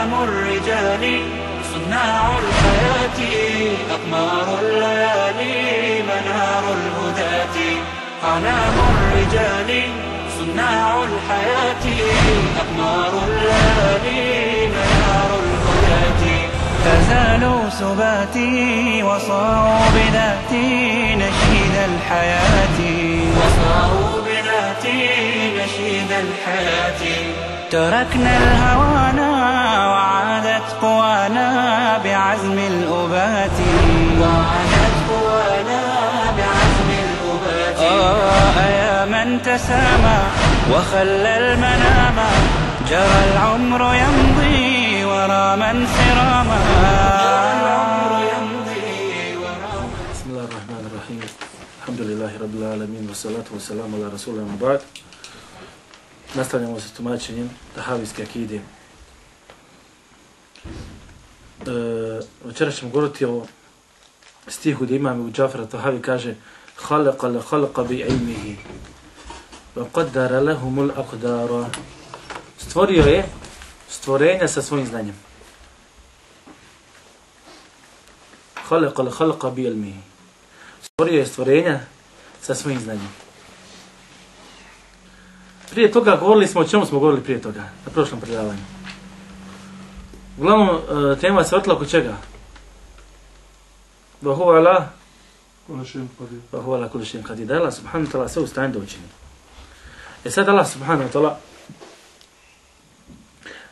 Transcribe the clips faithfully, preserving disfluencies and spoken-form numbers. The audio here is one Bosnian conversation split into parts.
أعلام الرجال صناع الحياة أقمار الليالي منار الهداة أعلام الرجال صناع الحياة أقمار الليالي منار الهداة فزالوا سباتي وصاروا بذاتي نشيد الحياة وصاروا بذاتي نشيد الحياة تركنا الهوانا وعادت قوانا بعزم الأبات وعادت قوانا بعزم الأبات آه يا من تسامى وخلى المنام جرى العمر يمضي ورا من سراما جرى العمر يمضي ورا من. بسم الله الرحمن الرحيم الحمد لله رب العالمين والصلاة والسلام على رسول الله وبعد. Nastavljamo sa tumačenjem tahavijske akide. E, večera ćemo govoriti o stihu gdje imam Ebu Džafar Tahavi kaže Khalaqa la khalaqa bi ilmihi wa qaddara lahumul aqdara. Stvorio je stvorenja sa svojim znanjem. Khalaqa la khalaqa bi ilmihi. Stvorio je stvorenja sa svojim znanjem. Prije toga govorili smo, o čemu smo govorili prije toga, na prošlom predavanju. Uglavnom, tema se vrtila oko čega? Wa huwa ala wa huwa ala kulli shay'in qadir. Allah subhanahu wa ta'ala sve u stanju da učini. E sad Allah subhanahu wa ta'ala,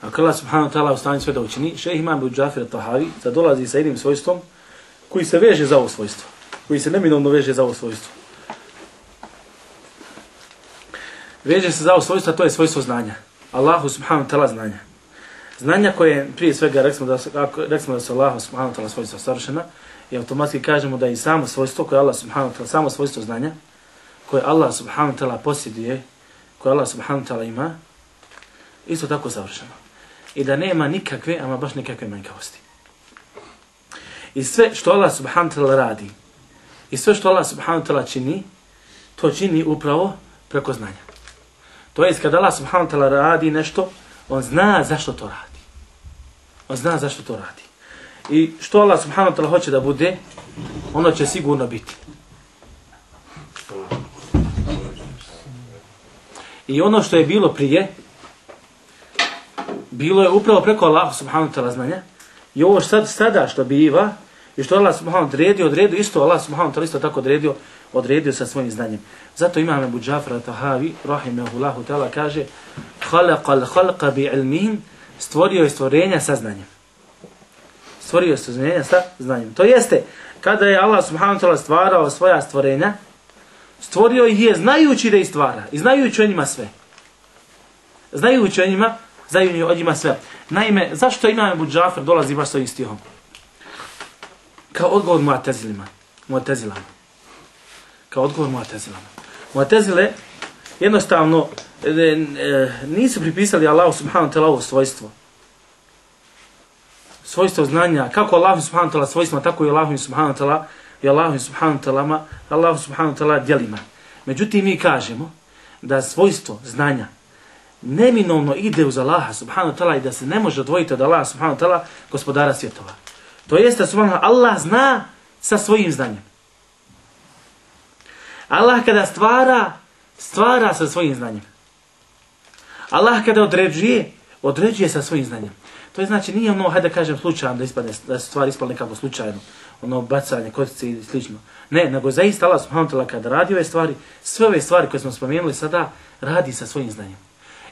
ako Allah subhanahu wa ta'ala u stanju sve da učini, šejh Imam Ebu Džafar Tahavi zadolazi sa jednim svojstvom koji se veže za ovo svojstvo, koji se neminovno veže za ovo svojstvo. Veže se za ovo svojstvo, to je svojstvo znanja. Allahu subhanahu wa ta'ala znanja. Znanja koje prije svega rekli da, rekli da su Allahu subhanahu wa ta'ala svojstvo savršena i automatski kažemo da je i samo svojstvo koje Allah subhanahu wa ta'ala, samo svojstvo znanja koje Allah subhanahu wa ta'ala posjeduje, koje Allah subhanahu wa ta'ala ima, isto tako savršeno. I da nema nikakve, ama baš nikakve manjkavosti. I sve što Allah subhanahu wa ta'ala radi, i sve što Allah subhanahu wa ta'ala čini, to čini upravo preko znanja. To jest kada Allah subhanahu wa ta'ala radi nešto, on zna zašto to radi. On zna zašto to radi. I što Allah subhanahu wa ta'ala hoće da bude, ono će sigurno biti. I ono što je bilo prije, bilo je upravo preko Allah subhanahu wa ta'ala znanja. I ovo sad, sada što biva, i što Allah subhanahu wa ta'ala odredio, odredio isto, Allah subhanahu wa ta'ala isto tako odredio, odredio sa svojim znanjem. Zato imam Ebu Džafar Tahavi, rahimahullahu ta'ala, kaže Khalaqal khalqa bi ilmihim, stvorio je stvorenja sa znanjem. Stvorio je stvorenja sa znanjem. To jeste, kada je Allah subhanahu wa ta'ala stvarao svoja stvorenja, stvorio ih je znajući da ih stvara i znajući o njima sve. Znajući o njima, znajući o njima sve. Naime, zašto imam Ebu Džafar dolazi baš s ovim stihom? Kao odgovor Mu'tazilima, Mu'tazilama. Kao odgovor Mu'tazilama. Mu'tazile jednostavno e, e, nisu pripisali Allahu subhanahu wa ta'ala ovo svojstvo. Svojstvo znanja, kako Allahu subhanahu wa ta'ala svojstvima, tako i Allahu subhanahu wa ta'ala i Allahu subhanahu wa ta'ala, Allahu subhanahu wa ta'ala djelima. Međutim, mi kažemo da svojstvo znanja neminovno ide uz Allaha subhanahu wa ta'ala i da se ne može odvojiti od Allaha subhanahu wa ta'ala, gospodara svjetova. To jeste, subhanahu Allah zna sa svojim znanjem. Allah kada stvara, stvara sa svojim znanjem. Allah kada određuje, određuje sa svojim znanjem. To je znači nije ono, hajde da kažem slučajno, da, ispadne, da se stvari ispale nekako slučajno, ono bacanje, kotice i slično. Ne, nego zaista Allah subhanahu wa ta'ala kada radi ove stvari, sve ove stvari koje smo spomenuli sada, radi sa svojim znanjem.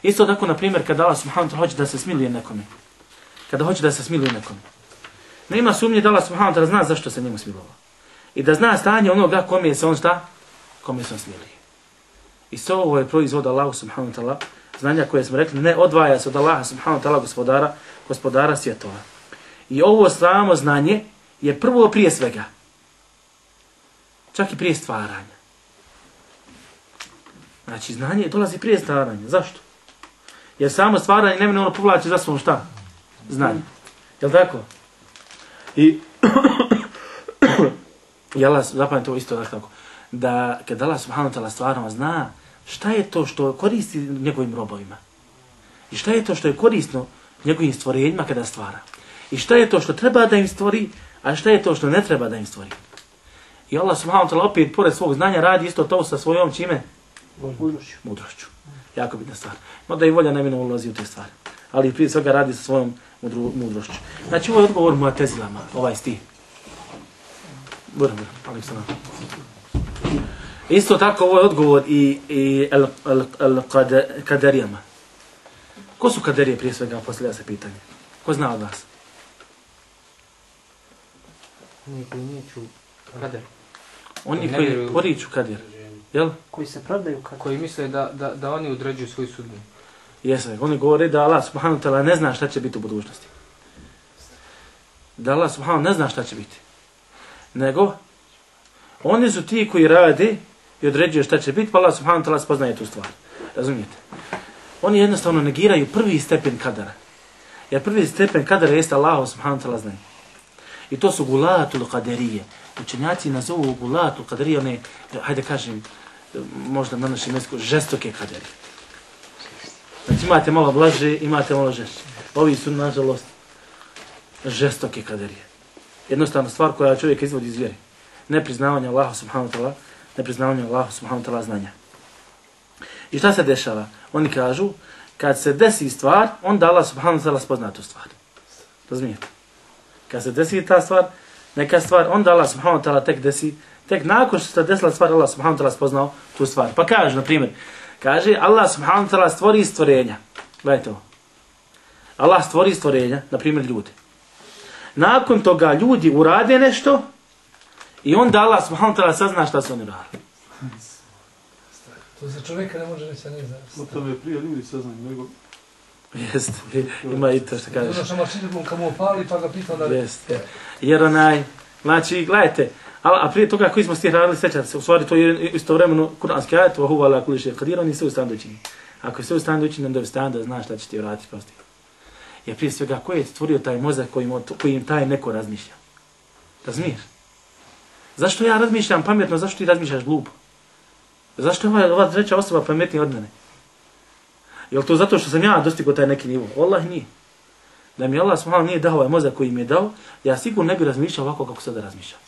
Isto tako, na primjer, kada Allah subhanahu wa ta'ala hoće da se smiluje nekome. Kada hoće da se smiluje nekome. Nema sumnje da Allah subhanahu wa ta'ala zna zašto se njemu smilovao. I da zna stanje onoga kome se on šta? Kome se on smiluje. I sve ovo je proizvod Allahu subhanahu wa ta'ala, znanja koje smo rekli, ne odvaja se od Allaha subhanahu wa ta'ala, gospodara, gospodara svjetova. I ovo samo znanje je prvo prije svega. Čak i prije stvaranja. Znači, znanje dolazi prije stvaranja. Zašto? Jer samo stvaranje ne ono povlači za svom šta? Znanje. Jel' tako? I, i Allah, zapamljate ovo isto tako, da kad Allah subhanahu wa ta'ala stvarno zna šta je to što koristi njegovim robovima. I šta je to što je korisno njegovim stvorenjima kada stvara. I šta je to što treba da im stvori, a šta je to što ne treba da im stvori. I Allah subhanahu wa ta'ala opet, pored svog znanja, radi isto to sa svojom čime? Mudrošću. Mudrošću. Jako bitna stvar. No da i volja nemino ulazi u te stvari. Ali prije svega radi sa svojom mudru, mudrošću. Znači ovo je odgovor Mu'tezilama, ovaj stih. Buram, buram, ali se nam. Isto tako ovo je odgovor i, i el, el, el kade, kaderijama. Ko su kaderije prije svega, posljedja se pitanje? Ko zna od vas? Oni koji neću kader. Oni koji vjeruju. poriču kader. Jel? Koji se pravdaju kader. Koji misle da, da, da oni određuju svoju sudbinu. Jeste, oni govore da Allah subhanahu wa ta'ala ne zna šta će biti u budućnosti. Da Allah subhanahu ne zna šta će biti. Nego, oni su ti koji rade i određuju šta će biti, pa Allah subhanahu wa ta'ala spoznaje tu stvar. Razumijete? Oni jednostavno negiraju prvi stepen kadara. Jer prvi stepen kadara jeste Allah subhanahu wa ta'ala znanje. I to su gulatul kaderije. Učenjaci nazovu gulatul kaderije, one, hajde kažem, možda na našem jeziku, žestoke kaderije. Znači imate malo blaže, imate malo žešće. Ovi su, nažalost, žestoke kaderije. Jednostavna stvar koja čovjek izvodi iz vjeri. Nepriznavanje Allaha subhanahu wa ta'ala, nepriznavanje Allaha subhanahu wa ta'ala znanja. I šta se dešava? Oni kažu, kad se desi stvar, onda Allah subhanahu wa ta'ala spozna tu stvar. Razumijete? Kad se desi ta stvar, neka stvar, onda Allah subhanahu wa ta'ala tek desi, tek nakon što se desila stvar, Allah subhanahu wa ta'ala spoznao tu stvar. Pa kaže, na primjer, kaže, Allah subhanahu wa ta'ala stvori stvorenja. Gledajte ovo. Allah stvori stvorenja, na primjer ljudi. Nakon toga ljudi urade nešto i onda Allah subhanahu wa ta'ala sazna šta su oni uradili. To za čovjeka ne može reći, ne znam. No to je prije ljudi saznaju, nego... Jest, ima i to što kažeš. Ono što mašinu kamo opali pa ga pitao da... Jest, jer onaj, znači, gledajte, a, a prije toga koji smo stih radili, sjećate se, u stvari to je istovremeno kuranski ajet, wa huwa ala kulli shay'in qadir, on je sve u stanju učiniti. Ako je sve u stanju učiniti, onda je u stanju da znaš šta će ti vratiti posti. Jer prije svega, ko je stvorio taj mozak kojim, kojim taj neko razmišlja? Razumiješ? Zašto ja razmišljam pametno, zašto ti razmišljaš glupo? Zašto je ova, ova treća osoba pametnija od mene? Je li to zato što sam ja dostigao taj neki nivo? Allah nije. Da mi Allah subhanahu nije dao ovaj mozak koji mi je dao, ja sigurno ne bi razmišljao ovako kako sada razmišljam.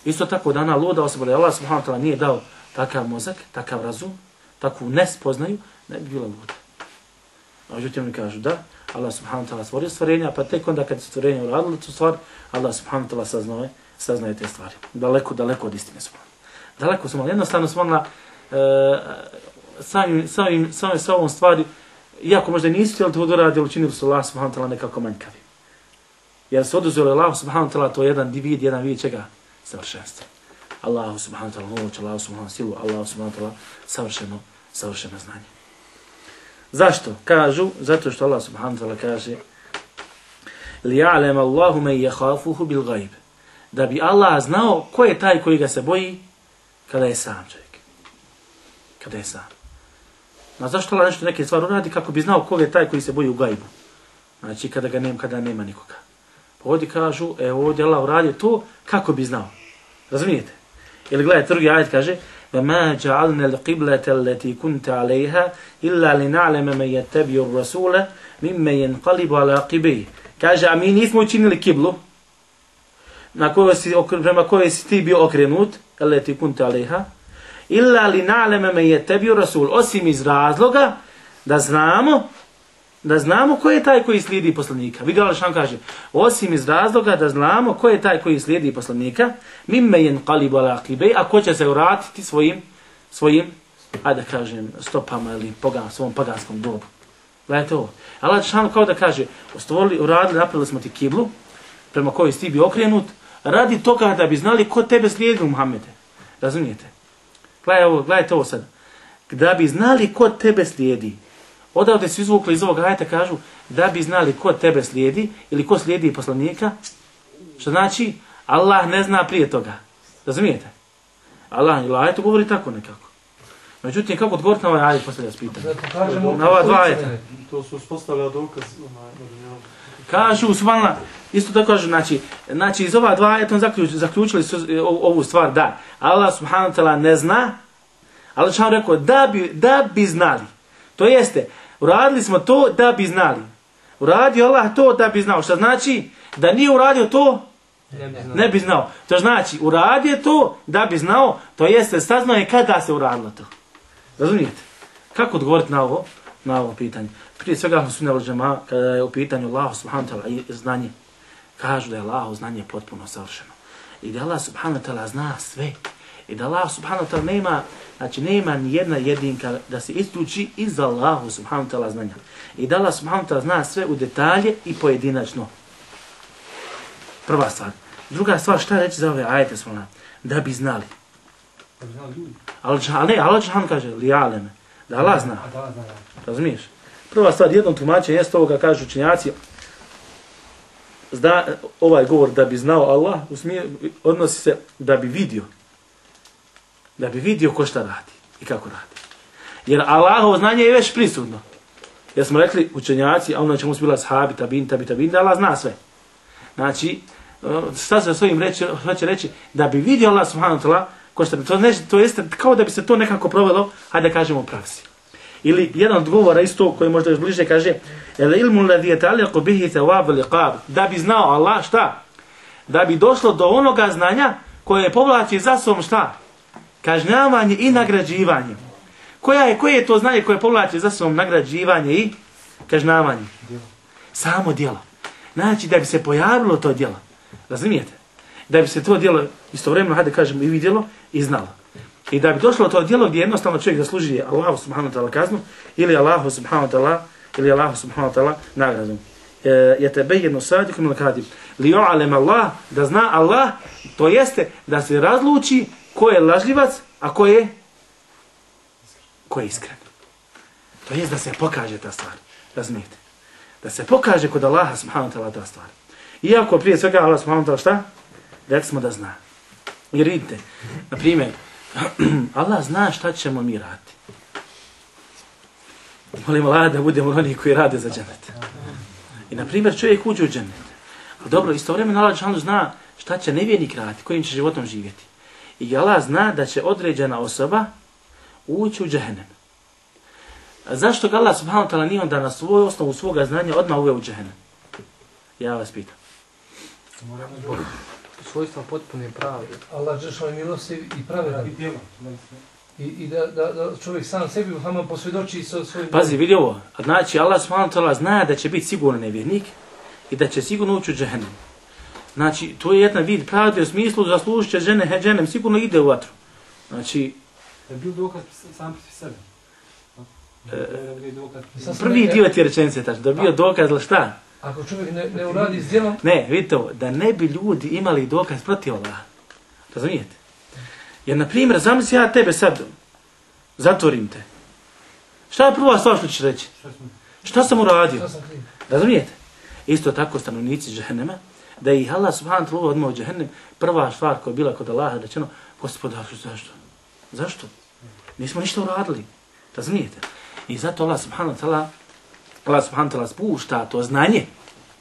Isto tako da ona luda osoba, da Allah subhanahu ta'ala nije dao takav mozak, takav razum, takvu nespoznaju, ne bi bila luda. A međutim mi kažu da, Allah subhanahu ta'ala stvorio stvorenja, pa tek onda kad su stvorenja uradili tu stvar, Allah subhanahu ta'ala saznaje, saznaje te stvari. Daleko, daleko od istine su. Daleko su malo. Jednostavno su malo e, samim, samim, samim sa ovom stvari, iako možda nisu htjeli to doraditi, ali učinili su Allah subhanahu ta'ala nekako manjkavi. Jer se oduzeli Allah subhanahu ta'ala, to je jedan vid, jedan vid čega? Savršenstvo. Allah subhanahu ta'ala moć, Allah subhanahu silu, Allah subhanahu ta'ala savršeno, savršeno znanje. Zašto? Kažu, zato što Allah subhanahu ta'ala kaže لِيَعْلَمَ اللَّهُ مَنْ يَخَافُهُ بِالْغَيْبِ. Da bi Allah znao ko je taj koji ga se boji kada je sam čovjek. Kada je sam. A zašto Allah nešto neke stvari uradi kako bi znao ko je taj koji se boji u gajbu? Znači kada ga nema, kada nema nikoga. Pa ovdje kažu, e ovdje Allah uradio to kako bi znao. Razumijete? Ili gledajte, drugi ajet kaže وَمَا جَعَلْنَا الْقِبْلَةَ الَّتِي كُنْتَ عَلَيْهَا إِلَّا لِنَعْلَمَ مَنْ يَتَّبِيُ الرَّسُولَ مِمَّ يَنْقَلِبُ عَلَى عَقِبَيْهِ. Kaže, a mi nismo učinili kiblu na kojoj si, prema kojoj si ti bio okrenut, الَّتِي كُنْتَ عَلَيْهَا إِلَّا لِنَعْلَمَ مَنْ يَتَّبِيُ الرَّسُولَ. Osim iz razloga da znamo da znamo ko je taj koji slijedi poslanika. Vidjela li što vam kaže? Osim iz razloga da znamo ko je taj koji slijedi poslanika, mimme yanqalibu ala aqibay, a ko će se vratiti svojim, svojim, ajde da kažem, stopama ili pogan, svom paganskom dobu. Gledajte ovo. Allah šanu kao da kaže, stvorili, uradili, napravili smo ti kiblu, prema kojoj si ti bi okrenut, radi toga da bi znali ko tebe slijedi, Muhammede. Razumijete? Gledajte ovo, gledajte ovo sad. Da bi znali ko tebe slijedi. Odavde su izvukli iz ovog ajeta, kažu da bi znali ko tebe slijedi ili ko slijedi poslanika, što znači Allah ne zna prije toga. Razumijete? Allah ili ajetu govori tako nekako. Međutim, kako odgovoriti na ovaj ajet, postavlja se pitanje. Na ova dva ajeta. To su uspostavlja dokaz. Kažu, subhanallah, isto tako kažu, znači, znači iz ova dva ajeta zaključ, zaključili su ovu stvar, da Allah subhanahu wa ta'ala ne zna, ali što vam rekao, da bi, da bi znali. To jeste, uradili smo to da bi znali. uradio Allah to da bi znao. Što znači da nije uradio to, Ne bi znao. ne bi znao. To znači uradio to da bi znao, to jeste saznao je kada se uradilo to. Razumijete? Kako odgovoriti na ovo, na ovo pitanje? Prije svega sunne vel džemaa, kada je u pitanju Allah subhanahu wa ta'ala i znanje, kažu da je Allah znanje potpuno savršeno. I da Allah subhanahu wa ta'ala zna sve. I da Allah subhanahu wa ta'ala nema, znači nema ni jedna jedinka da se isključi iz Allahu subhanahu wa ta'ala znanja. I da Allah subhanahu wa ta'ala zna sve u detalje i pojedinačno. Prva stvar. Druga stvar, šta reći za ove ajete svala? Da bi znali. Da bi znao ljudi. Ali ne, Allah Đelešanu kaže, li aleme, da Allah zna. A da Allah zna, da. Razumiješ? Prva stvar, jednom tumačenju jeste ovoga, kažu učenjaci, zna, ovaj govor da bi znao Allah, u smije, odnosi se da bi vidio. Da bi vidio ko šta radi i kako radi. Jer Allahovo znanje je već prisutno. Jer smo rekli učenjaci, a ono čemu su bila sahabi, tabin, tabi, tabin, da Allah zna sve. Znači, šta se svojim reći, hoće reći, da bi vidio Allah subhanahu wa ta'ala, ko šta, to, ne, to jeste kao da bi se to nekako provelo, hajde da kažemo u praksi. Ili jedan od govora isto koji možda još bliže kaže, el ilmu ladhi yata'allaqu bihi thawab al-iqab, da bi znao Allah šta? Da bi došlo do onoga znanja koje povlači za sobom šta? Kažnjavanje i nagrađivanje. Koja je, koje je to znanje koje povlači za sobom nagrađivanje i kažnjavanje? Samo djelo. Znači da bi se pojavilo to djelo. Razumijete? Da bi se to djelo istovremeno, hajde kažemo, i vidjelo i znalo. I da bi došlo to djelo gdje jednostavno čovjek zaslužuje Allahu subhanahu wa ta'ala kaznu ili Allahu subhanahu wa ta'ala ili Allahu subhanahu wa ta'ala nagradu. Je tebe jedno sadikom ili kadim. Li jo'alem Allah, da zna Allah, to jeste da se razluči ko je lažljivac, a ko je ko je iskren. To jest da se pokaže ta stvar. Razumijete? Da se pokaže kod Allaha subhanahu wa ta'ala ta stvar. Iako prije svega Allah subhanahu wa ta'ala šta? Rekli smo da zna. Jer vidite, na primjer, Allah zna šta ćemo mi raditi. Molim Allah da budemo oni koji rade za džennet. I na primjer čovjek uđe u džennet. Ali dobro, istovremeno Allah dželle zna šta će nevjernik raditi, kojim će životom živjeti. I Allah zna da će određena osoba ući u džehennem. A zašto ga Allah subhanahu wa ta'ala nije onda na svoju osnovu svoga znanja odmah uveo u džehennem? Ja vas pitam. Zbog svojstva potpune prave. Allah dželle je milostiv i pravedan. I, i da, da, da čovjek sam sebi sama posvjedoči sa svojim... Pazi, vidi ovo. Znači, Allah subhanahu wa ta'ala zna da će biti sigurno nevjernik i da će sigurno ući u džehennem. Znači, to je jedan vid pravde u smislu zaslužit će žene, džehennem, sigurno ide u vatru. Znači... Je bil dokaz sam pri sebi? E, prvi dio ti rečenice je tačno, da bio dokaz, ali šta? Ako čovjek ne, ne uradi s djelom... Ne, vidite ovo, da ne bi ljudi imali dokaz protiv Allaha. Razumijete? Jer, na primjer, zamisli ja tebe sad zatvorim te. Šta je prva stvar što ćeš reći? Šta sam uradio? Šta sam kriv? Razumijete? Isto tako stanovnici džehennema, da ih Allah subhanahu wa ta'ala odmah u džehennem, prva stvar koja je bila kod Allaha rečeno, Gospodar, zašto? Zašto? Nismo ništa uradili. Razumijete? I zato Allah subhanahu wa ta'ala Allah subhanahu wa ta'ala spušta to znanje.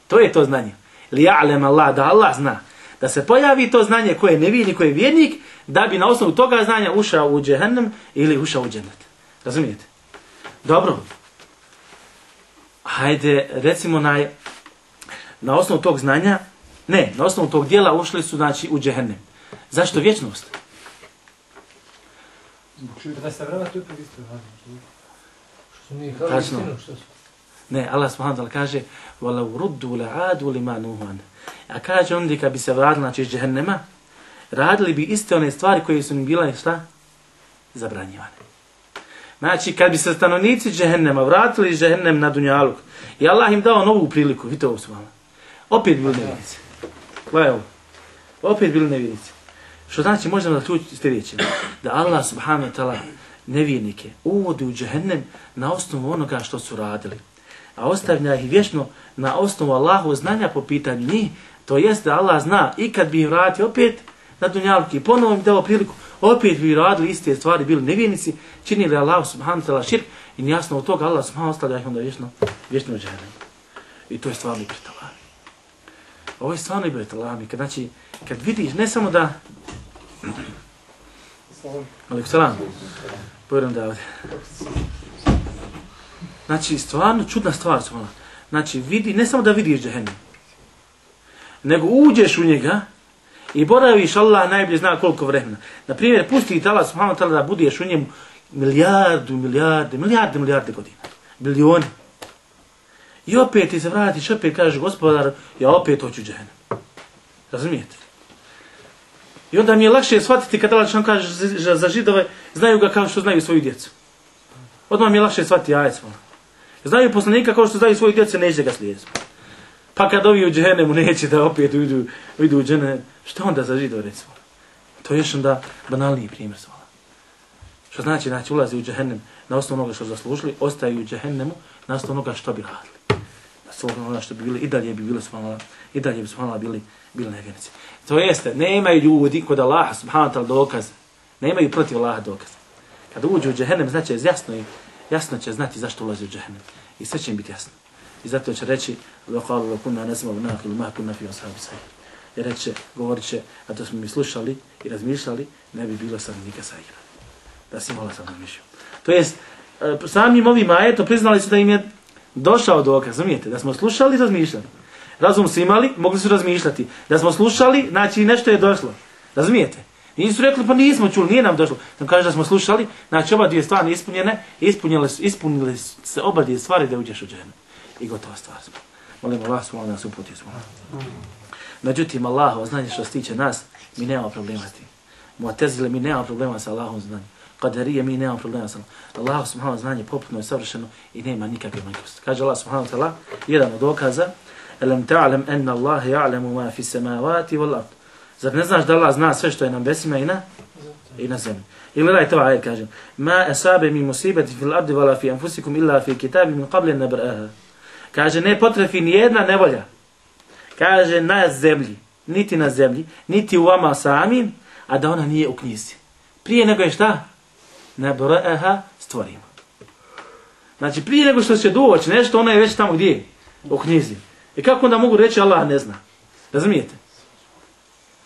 To je to znanje. Li ja'lem Allah, da Allah zna. Da se pojavi to znanje koje je nevini, koje je vjernik, da bi na osnovu toga znanja ušao u džehennem ili ušao u džennet. Razumijete? Dobro. Hajde, recimo na, na osnovu tog znanja, ne, na osnovu tog dijela ušli su, znači, u džehennem. Zašto vječnost? Da se vrati opet isto radi. Što su mi kao Tačno. istinu, što su... Ne, Allah subhanahu wa ta'ala kaže وَلَوْ رُدُّوا لَعَادُوا لِمَا نُهُوَنَ. A kaže onda kad bi se vratili, znači iz džehennema, radili bi iste one stvari koje su im bile šta? Zabranjivane. Znači kad bi se stanovnici džehennema vratili iz džehennem na dunjaluk i Allah im dao novu priliku, vidite ovo subhana, opet bili nevjernici. Gledaj ovo. Opet bili nevjernici. Što znači možemo zaključiti sljedeće, da Allah subhanahu wa ta'ala nevjernike uvodi u džehennem na osnovu onoga što su radili. A ostavlja ih vječno na osnovu Allahu znanja po pitanju njih, to jest da Allah zna i kad bi ih vratio opet na dunjaluk i ponovo im dao priliku, opet bi radili iste stvari, bili nevjernici, činili Allah subhanahu wa ta'ala širk i jasno od toga Allah subhanahu ostavlja ih onda vječno, vječno u džehennem. I to je stvarno ibret Allah. Ovo je stvarno ibret Allah. Kad, znači, kad vidiš, ne samo da... Alaikum salam. Povjerujem da ovdje. Znači, stvarno čudna stvar su ona. Znači, vidi, ne samo da vidiš džehennem, nego uđeš u njega i boraviš, Allah najbolje zna koliko vremena. Naprimjer, pusti ti Allah subhanahu wa ta'ala da budeš u njemu milijardu, milijarde, milijarde, milijarde godina. Bilioni. I opet ti se vratiš, opet kažeš, gospodar, ja opet hoću džehennem. Razumijete? I onda mi je lakše shvatiti kad Allah što kaže za, za židove, znaju ga kao što znaju svoju djecu. Odmah mi je lakše shvatiti ajet svoje. Znaju poslanika kao što znaju svoju djecu, neće ga slijediti. Pa kad ovi u džehennemu neće da opet idu, idu u džene, što onda za židove recimo? To je još onda banalniji primjer svoje. Što znači, znači ulazi u džehennem na osnovu onoga što zaslužili, ostaju u džehennemu na osnovu onoga što bi radili. Na osnovu onoga što bi bili, i dalje bi bili subhanallah, i dalje bi subhanallah bili, bili nevjernici. To jeste, nemaju ljudi kod Allaha subhanahu wa ta'ala dokaz, nemaju protiv Allaha dokaz. Kada uđu u džehennem, znači jasno, jasno će znati zašto ulazi u džehennem. I sve će im biti jasno. I zato će reći, وَقَالُوا لَكُنَّا نَسْمَوْ نَاقِلُ مَا كُنَّا فِي أَصْحَابِ السَّعِيرِ. Jer reće, govorit će, a to smo mi slušali i razmišljali, ne bi bilo stanovnika Saira. Da si mola sam razmišljao. To jest, samim ovim ajetom priznali su da im je došao dokaz, razumijete? Da smo slušali i razmišljali. Razum su imali, mogli su razmišljati. Da smo slušali, znači nešto je došlo. Razumijete? Nisu rekli, pa nismo čuli, nije nam došlo. Nam kaže da smo slušali, znači oba dvije stvari ispunjene, ispunile su, ispunile se oba dvije stvari da uđeš u džehennem. I gotova stvar smo. Molimo Allah, smo nas uputio smo. Međutim, Allah, znanje što se tiče nas, mi nemamo problema s tim. Mu'tezile, mi nemamo problema sa Allahom znanjem. Qadarije, mi nemamo problema sa Allahom. Allah subhanahu znanje poputno je savršeno i nema nikakve manjkosti. Kaže Allah subhanahu ta'ala, jedan od dokaza, Alam ta'lam anna Allah ya'lamu ma fi samawati wal ard. Zar ne znaš da Allah zna sve što je na nebesima i na i na zemlji? I gledajte ovaj ajet, kaže: Ma asabe min musibati fil ardi wala fi anfusikum illa fi kitabin min qabli an nabraha. Kaže, ne potrefi ni jedna nevolja. Kaže, na zemlji, niti na zemlji, niti u vama samim, a da ona nije u knjizi. Prije nego je šta? Nabraha stvorimo. Znači, prije nego što će doći nešto, ona je već tamo gdje je? U knjizi. I kako onda mogu reći Allah ne zna? Razumijete?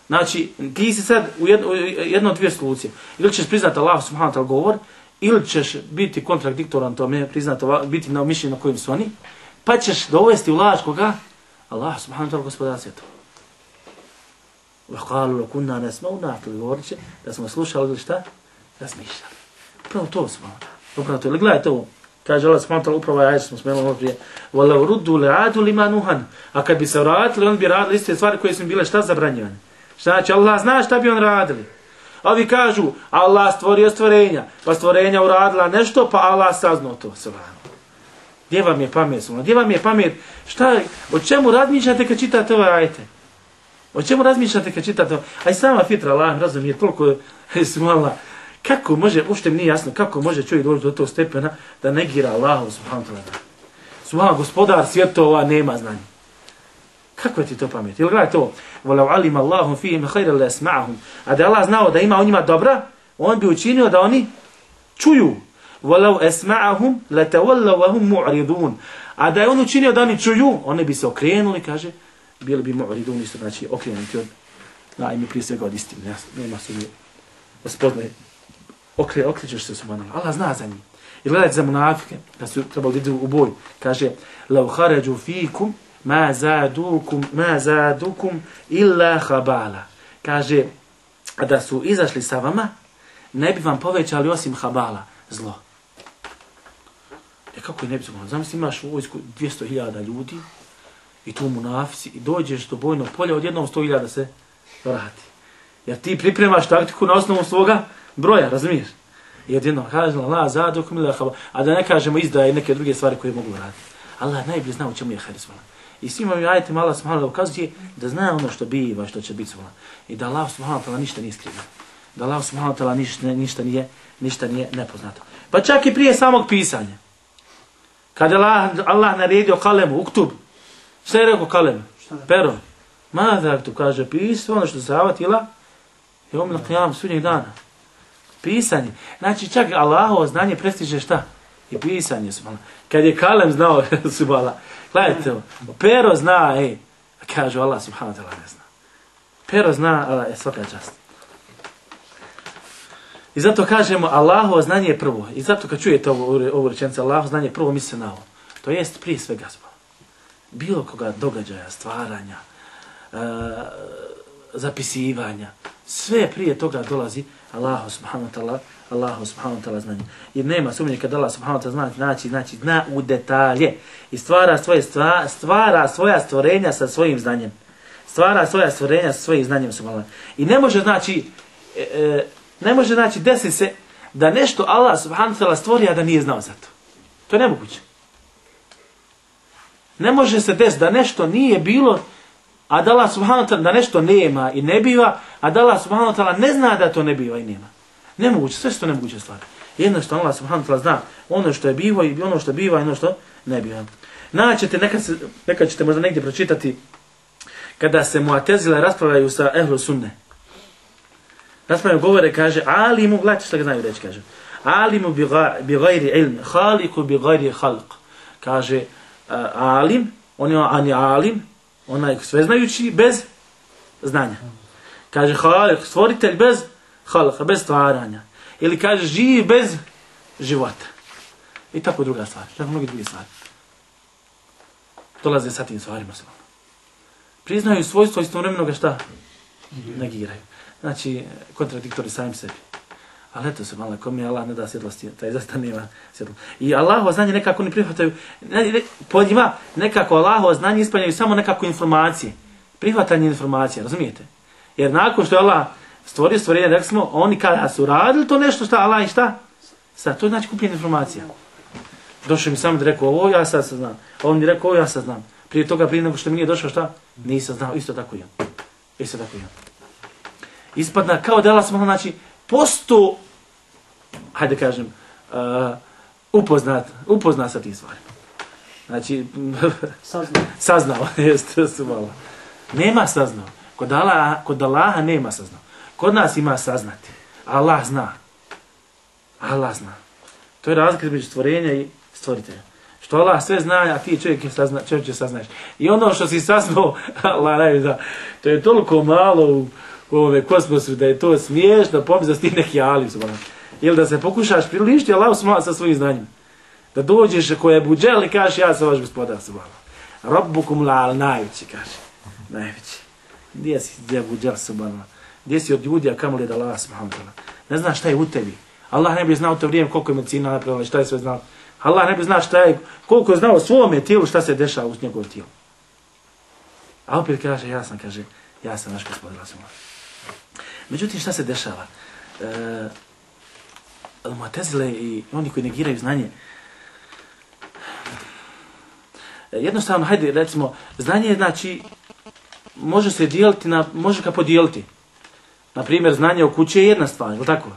Znači, ti si sad u jedno, jedno od dvije solucije. Ili ćeš priznati Allah subhanahu wa ta'ala govor, ili ćeš biti kontradiktoran tome, priznati, biti na mišljenju na kojim su oni, pa ćeš dovesti u laž koga? Allah subhanahu wa ta'ala gospodar svjetova. وَقَالُوا لَكُنَّا نَسْمَوْ نَعْتُلِ Govorit će da smo slušali ili šta? Razmišljali. Upravo to smo. Upravo to. Ili gledajte ovo. Kaže Allah subhanahu wa ta'ala, upravo ajde smo smenuli ovo prije. وَلَوْ رُدُّوا لَعَادُ لِمَا نُهَنُ A kad bi se vratili, on bi radili iste stvari koje su bile šta zabranjivane. Šta znači, Allah zna šta bi on radili. A ovi kažu, Allah stvorio stvorenja, pa stvorenja uradila nešto, pa Allah saznao to. Gdje vam je pamet? Gdje vam je pamet? Šta, o čemu razmišljate kad čitate ove ajete? O čemu razmišljate kad čitate ove? A i sama fitra, Allah razumije, toliko je smala. Kako može, uopšte mi nije jasno, kako može čovjek doći do tog stepena da negira Allahu subhanahu wa ta'ala. Subhanahu, gospodar svjetova nema znanja. Kako je ti to pamet? Ili gledaj to, وَلَوْ عَلِمَ اللَّهُمْ فِيهِمْ خَيْرًا لَيَسْمَعَهُمْ A da Allah znao da ima u njima dobra, on bi učinio da oni čuju. وَلَوْ أَسْمَعَهُمْ لَتَوَلَّوْ وَهُمْ مُعْرِضُونَ A da je on učinio da oni čuju, oni bi se okrenuli, kaže, bili bi mu'ridun, isto znači okrenuti od, najmi prije svega od istine, nema se mi spoznaje, okre, okrećeš se subhanallah, Allah zna za njih. I gledajte za munafike, da su trebali idu u boj, kaže, لَوْ خَرَجُوا فِيكُمْ مَا زَادُكُمْ مَا زَادُكُمْ إِلَّا خَبَالًا Kaže, da su izašli sa vama, ne bi vam povećali osim habala, zlo. E kako je ne bi zlo? Zamisli, imaš u vojsku dvjesto hiljada ljudi, i tu munafici, i dođeš do bojnog polja, odjednom sto hiljada se vrati. Jer ti pripremaš taktiku na osnovu svoga broja, razumiješ? I odjednom kaže, la zadukum ila khaba, a da ne kažemo izdaje neke druge stvari koje mogu raditi. Allah najbolje zna u čemu je hadis. I svima ovim ajetima Allah subhanahu wa ta'ala ukazuje da zna ono što biva, što će biti. I da Allah subhanahu wa ta'ala ništa nije skrivio. Da Allah subhanahu wa ta'ala ništa, ništa, nije, ništa nije nepoznato. Pa čak i prije samog pisanja. Kada Allah, Allah naredio kalemu, uktub, šta je rekao kalemu? Pero. Mada tu kaže, pisao ono što se avatila, je omila qiyam sudnjeg dana. Pisanje. Znači čak Allahovo znanje prestiže šta? I pisanje, subhanallah. Kad je kalem znao, subhanallah. Gledajte ovo. Pero zna, ej. Kažu Allah subhanahu wa ta'ala ne zna. Pero zna, Allah je svaka čast. I zato kažemo Allahovo znanje je prvo. I zato kad čujete ovu, ovu rečenicu Allahovo znanje je prvo, misli se na ovo. To jest prije svega subhanallah. bilo koga događaja, stvaranja, e, zapisivanja, sve prije toga dolazi Allahu subhanahu wa ta'ala, Allahu subhanahu wa ta'ala znanje. Jer nema sumnje kad Allah subhanahu wa ta'ala zna, znači, znači, zna u detalje i stvara svoje, stva, stvara svoja stvorenja sa svojim znanjem. Stvara svoja stvorenja sa svojim znanjem subhanahu. I ne može, znači, e, e, ne može, znači, desi se da nešto Allah subhanahu wa ta'ala stvori, a da nije znao za to. To je nemoguće. Ne može se desiti da nešto nije bilo, a da Allah subhanahu wa ta'ala da nešto nema i ne biva, a da Allah subhanahu wa ta'ala ne zna da to ne biva i nema. Nemoguće, sve što nemoguće stvari. Jedno što Allah subhanahu wa ta'ala zna, ono što je bivo i ono što biva i ono što ne biva. Naćete, nekad, se, nekad ćete možda negdje pročitati, kada se Mu'tezile raspravljaju sa ehlu sunne. Raspravljaju govore, kaže, alimu, gledajte što ga znaju reći, kaže, alimu bi gajri ilm, haliku bi gajri halq. Kaže, uh, alim, on je, on je alim, onaj sveznajući bez znanja. Kaže, halik, stvoritelj bez halqa, bez stvaranja. Ili kaže, živ bez života. I tako druga stvar, tako mnogi drugi stvari. Dolaze sa tim stvarima se. Priznaju svojstvo istovremenoga šta? Negiraju. Znači, kontradiktori samim sebi. Ali eto se malo, ko mi Allah ne da svjetlosti, taj zaista nema svjetlo. I Allahovo znanje nekako ne prihvataju, ne, ne, po njima nekako Allahovo znanje ispanjaju samo nekako informacije. Prihvatanje informacije, razumijete? Jer nakon što je Allah stvorio stvorenje, rekli smo, oni kada su radili to nešto šta Allah i šta? Sad, to je znači kupljenje informacija. Došao mi sam da rekao ovo, ja sad znam. A on mi rekao ovo, ja sad znam. Prije toga, prije nego što mi nije došao šta? Nisam znao, isto tako i on. Isto tako i on. Ispadna kao da Allah smo, znači, posto, hajde kažem, uh, upoznat, upoznat sa tim stvarima. Znači, saznao. Saznao, jeste, su malo. Nema saznao. Kod Allaha, kod Allaha nema saznao. Kod nas ima saznati. Allah zna. Allah zna. To je razlika između stvorenja i stvoritelja. Što Allah sve zna, a ti čovjek je sazna, čovjek će saznaš. I ono što si saznao, Allah najbolje zna, to je toliko malo u, u ovome kosmosu da je to smiješno, pomisla s ti neki alim. Ili da se pokušaš prilišti Allah sa svojim znanjem. Da dođeš koje je buđel i kažeš ja sam vaš gospodar. Rabbukum la'al najveći, kaže. Najveći. Gdje si gdje buđel subhanallah? Gdje si od ljudi, a kamo li da Allah subhanallah? Ne znaš šta je u tebi. Allah ne bi znao to vrijeme koliko je medicina napravila, šta je sve znao. Allah ne bi znao šta je, koliko je znao o svome tijelu, šta se dešava u njegovom tijelu. A opet kaže, ja sam, kaže, ja sam naš gospodar. Međutim, šta se dešava? E, Mu'tezile i oni koji negiraju znanje, jednostavno, hajde, recimo, znanje, znači, može se dijeliti, na, može ga podijeliti. Naprimjer, znanje o kući je jedna stvar, je li tako?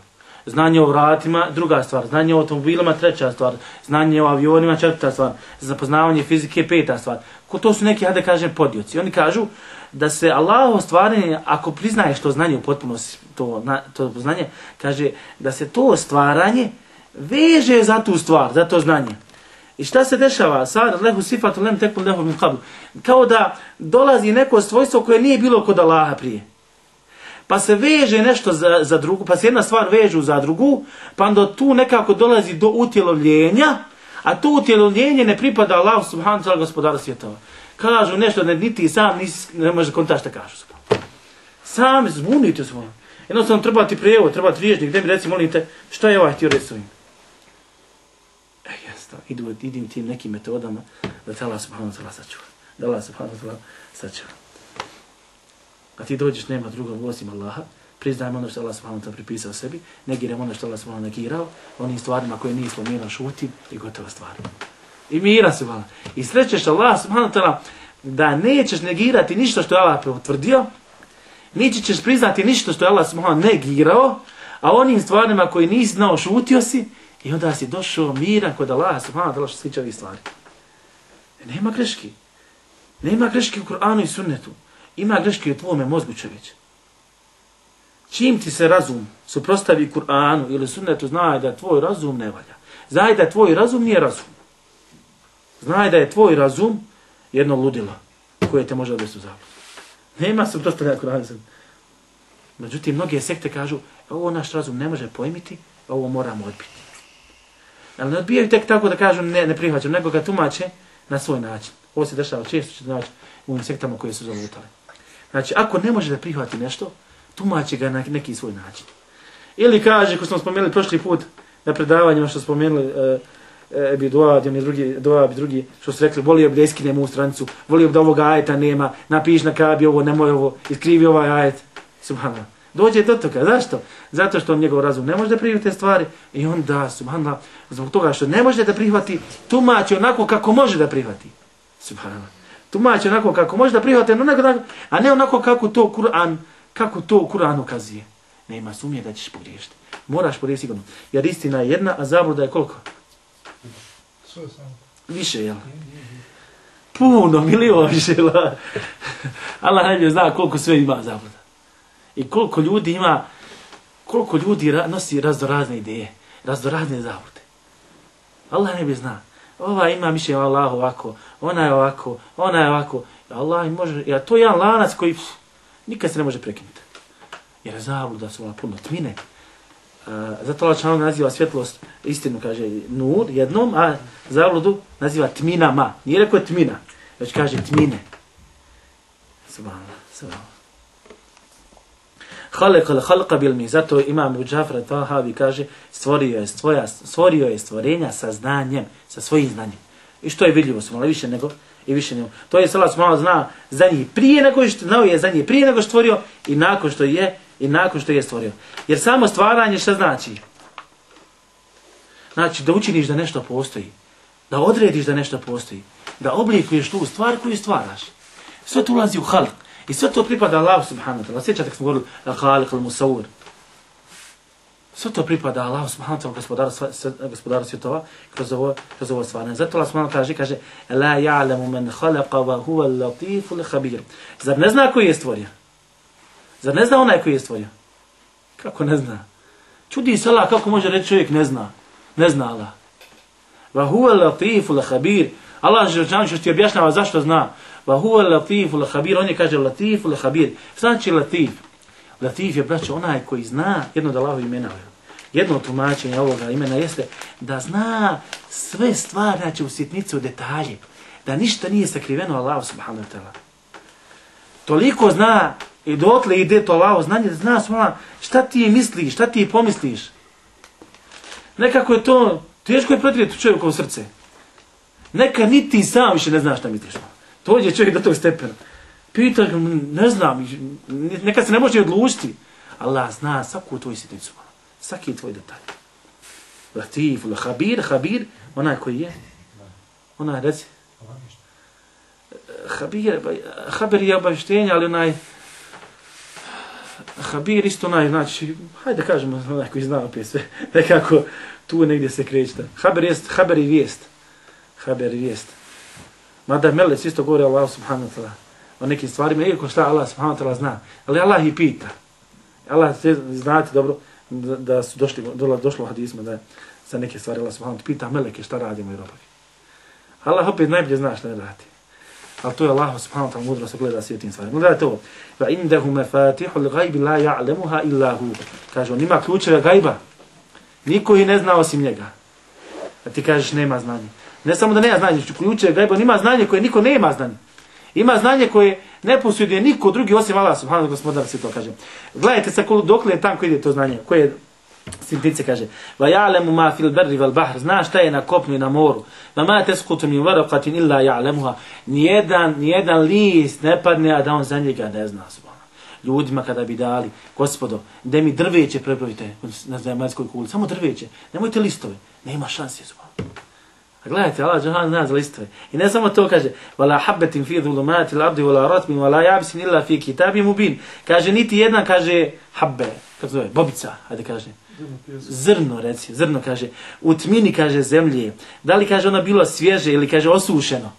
Znanje o vratima, druga stvar. Znanje o automobilima, treća stvar. Znanje o avionima, četvrta stvar. Zapoznavanje fizike, peta stvar. Ko to su neki, hajde kažem, podioci. Oni kažu da se Allahovo stvaranje, ako priznaješ to znanje u potpunosti, to, to znanje, kaže da se to stvaranje veže za tu stvar, za to znanje. I šta se dešava? Sad, lehu sifatu lem tekun lehu min qabl. Kao da dolazi neko svojstvo koje nije bilo kod Allaha prije. Pa se veže nešto za, za drugu, pa se jedna stvar vežu za drugu, pa onda tu nekako dolazi do utjelovljenja, a to utjelovljenje ne pripada Allahu subhanahu wa ta'ala gospodaru svjetova. Kažu nešto da niti sam nisi, ne može kontaš šta kažu. Sami zbunite se. Jednostavno treba ti prijevod, treba ti riječnik, gdje mi reci, molite, šta je ovaj htio reći s ovim? E, jasno, idu, idim tim nekim metodama da te Allah subhanahu wa ta'ala sačuva. Da Allah subhanahu wa ta'ala sačuva. A ti dođeš, nema drugog osim Allaha, priznajmo ono što Allah subhanahu wa ta'ala pripisao sebi, negiramo ono što Allah subhanahu wa ta'ala negirao, onim stvarima koje nije spomenuo, šuti i gotova stvar. I mira subhanahu. I srećeš Allah subhanahu wa ta'ala da nećeš negirati ništa što je Allah potvrdio, nići ćeš priznati ništa što je Allah subhanahu wa ta'ala negirao, a onim stvarima koje nisi znao, šutio si, i onda si došao miran kod Allah subhanahu wa ta'ala što se tiče ovih stvari. Nema greški. Nema greški u Kur'anu i sunnetu. Ima greške u tvojome mozgu, čovječe. Čim ti se razum suprostavi Kur'anu ili sunnetu, znaj da tvoj razum ne valja. Znaj da tvoj razum nije razum. Znaj da je tvoj razum jedno ludilo koje te može odvesti u zabludu. Nema suprostavljanja Kur'anu. Međutim, mnoge sekte kažu, ovo naš razum ne može pojmiti, ovo moramo odbiti. Ali ne odbijaju tek tako da kažu ne, ne prihvaćam, nego ga tumače na svoj način. Ovo se dešava često, ćete naći u ovim sektama koje su zalutale. Znači, ako ne može da prihvati nešto, tumači ga na neki svoj način. Ili kaže, ko smo spomenuli prošli put na predavanjima što spomenuli uh, Ebi Duad i oni drugi, Duad i drugi, što su rekli, volio bi da iskinem ovu stranicu, volio bi da ovog ajeta nema, napiš na kabi ovo, nemoj ovo, iskrivi ovaj ajet. Subhanallah. Dođe do toga. Zašto? Zato što on njegov razum ne može da prihvati te stvari i onda, subhanallah, zbog toga što ne može da prihvati, tumači onako kako može da prihvati. Subhanallah. Tumači onako kako može da prihvati, a ne onako kako to Kur'an, kako to Kur'an ukazuje. Nema sumnje da ćeš pogriješiti. Moraš pogriješiti sigurno. Jer istina je jedna, a zabluda je koliko? Više, jel? Puno, milion više. Allah najbolje zna koliko sve ima zabluda. I koliko ljudi ima, koliko ljudi nosi raznorazne ideje, raznorazne zablude. Allah najbolje zna. Ova ima mišljenje Allah ovako, ona je ovako, ona je ovako. Allah može, ja, to je jedan lanac koji pff, nikad se ne može prekinuti. Jer zabluda su ona puno tmine. Uh, zato Allah čanog naziva svjetlost, istinu kaže nur jednom, a zabludu naziva tminama. Nije rekao tmina, već kaže tmine. Subhanallah, subhanallah. Halekal halqa bil mi, zato imam Abu Džafar Tahavi kaže stvorio je, stvoja, stvorio je stvorenja sa znanjem, sa svojim znanjem. I što je vidljivo su malo više nego i više nego. To je Allah subhanahu zna za njih prije nego što znao je za njih prije nego što stvorio i nakon što je i nakon što je stvorio. Jer samo stvaranje šta znači? Znači da učiniš da nešto postoji, da odrediš da nešto postoji, da oblikuješ tu stvar koju stvaraš. Sve to ulazi u halq. I sve to pripada Allahu subhanahu wa ta'ala. Sjećate kad smo govorili al-Khaliq al-Musawwir. Sve to pripada Allahu subhanahu wa ta'ala, gospodaru, gospodaru svjetova, kroz ovo, kroz ovo stvaranje. Zato Allah subhanahu wa ta'ala kaže, kaže la ja'lamu man khalaqa wa huwa al-latifu al-khabir. Zar ne zna koji je stvorio? Zar ne zna onaj koji je stvorio? Kako ne zna? Čudi se Allah kako može reći čovjek ne zna. Ne zna Allah. Wa huwa al-latifu al-khabir. Allah želčan što ti objašnjava zašto zna. Va huwa al-latif al-khabir, on je kaže latif al-khabir. Znači latif. Latif je, braćo, onaj koji zna jedno od Allahovih imena. Jedno tumačenje ovoga imena jeste da zna sve stvari, znači u sitnici, u detalje. Da ništa nije sakriveno Allahu subhanahu wa ta'ala. Toliko zna i dotle ide to Allaho znanje, da zna svala šta ti misliš, šta ti pomisliš. Nekako je to, teško je pretrijeti čovjekovo srce. Neka niti sam više ne znaš šta misliš. Dođe čovjek do tog stepena. Pita ga, ne znam, nekad se ne može odlučiti. Allah zna svaku tvoju sitnicu. Svaki tvoj detalj. Latif, habir, habir, onaj koji je. Onaj, reci. Habir, habir je obavještenje, ali onaj... Habir isto onaj, znači, hajde kažemo onaj koji zna opet sve. Nekako tu negdje se krećete. Haber jest, haber i vijest. Haber i vijest. Mada melec isto govori Allah subhanahu wa ta'ala o nekim stvarima, iako šta Allah subhanahu wa ta'ala zna. Ali Allah i pita. Allah, znate dobro, da, da su došli, do, došlo u hadismu da za neke stvari Allah subhanahu wa ta'ala pita meleke šta radimo i robovi. Allah opet najbolje zna šta ne radi. Ali to je Allah subhanahu wa ta'ala mudro se gleda sve tim stvarima. Gledajte ovo. Va indahu mafatihu l-gajbi la ja'lemuha illa hu. Kaže, on ima ključeve gajba. Niko ih ne zna osim njega. A ti kažeš nema znanja. Ne samo da nema znanje, ključeve gajba, on ima znanje koje niko nema znanje. Ima znanje koje ne posjeduje niko drugi osim Allah subhanahu wa ta'ala se to kaže. Gledajte sa dokle je tam koji ide to znanje. Koje sintice kaže. Va ja'lemu ma fil berri val bahr. Zna šta je na kopnu i na moru. Va ma teskutu min varaqatin illa ja'lemuha. Nijedan, nijedan list ne padne, a da on za njega ne zna. Ljudima kada bi dali, gospodo, da mi drveće prebrojite na zemaljskoj kuli. Samo drveće. Nemojte listove. Nema šanse. A gledajte, Allah džahan zna za listove. I ne samo to kaže, wala habbatin fi dhulumati al-ardi wala ratbin wala yabsin illa fi kitabin mubin. Kaže niti jedna, kaže habbe, kako zove, bobica, hajde kaže. Zrno, reci, zrno kaže, u tmini kaže zemlje. Da li kaže ona bilo svježe ili kaže osušeno?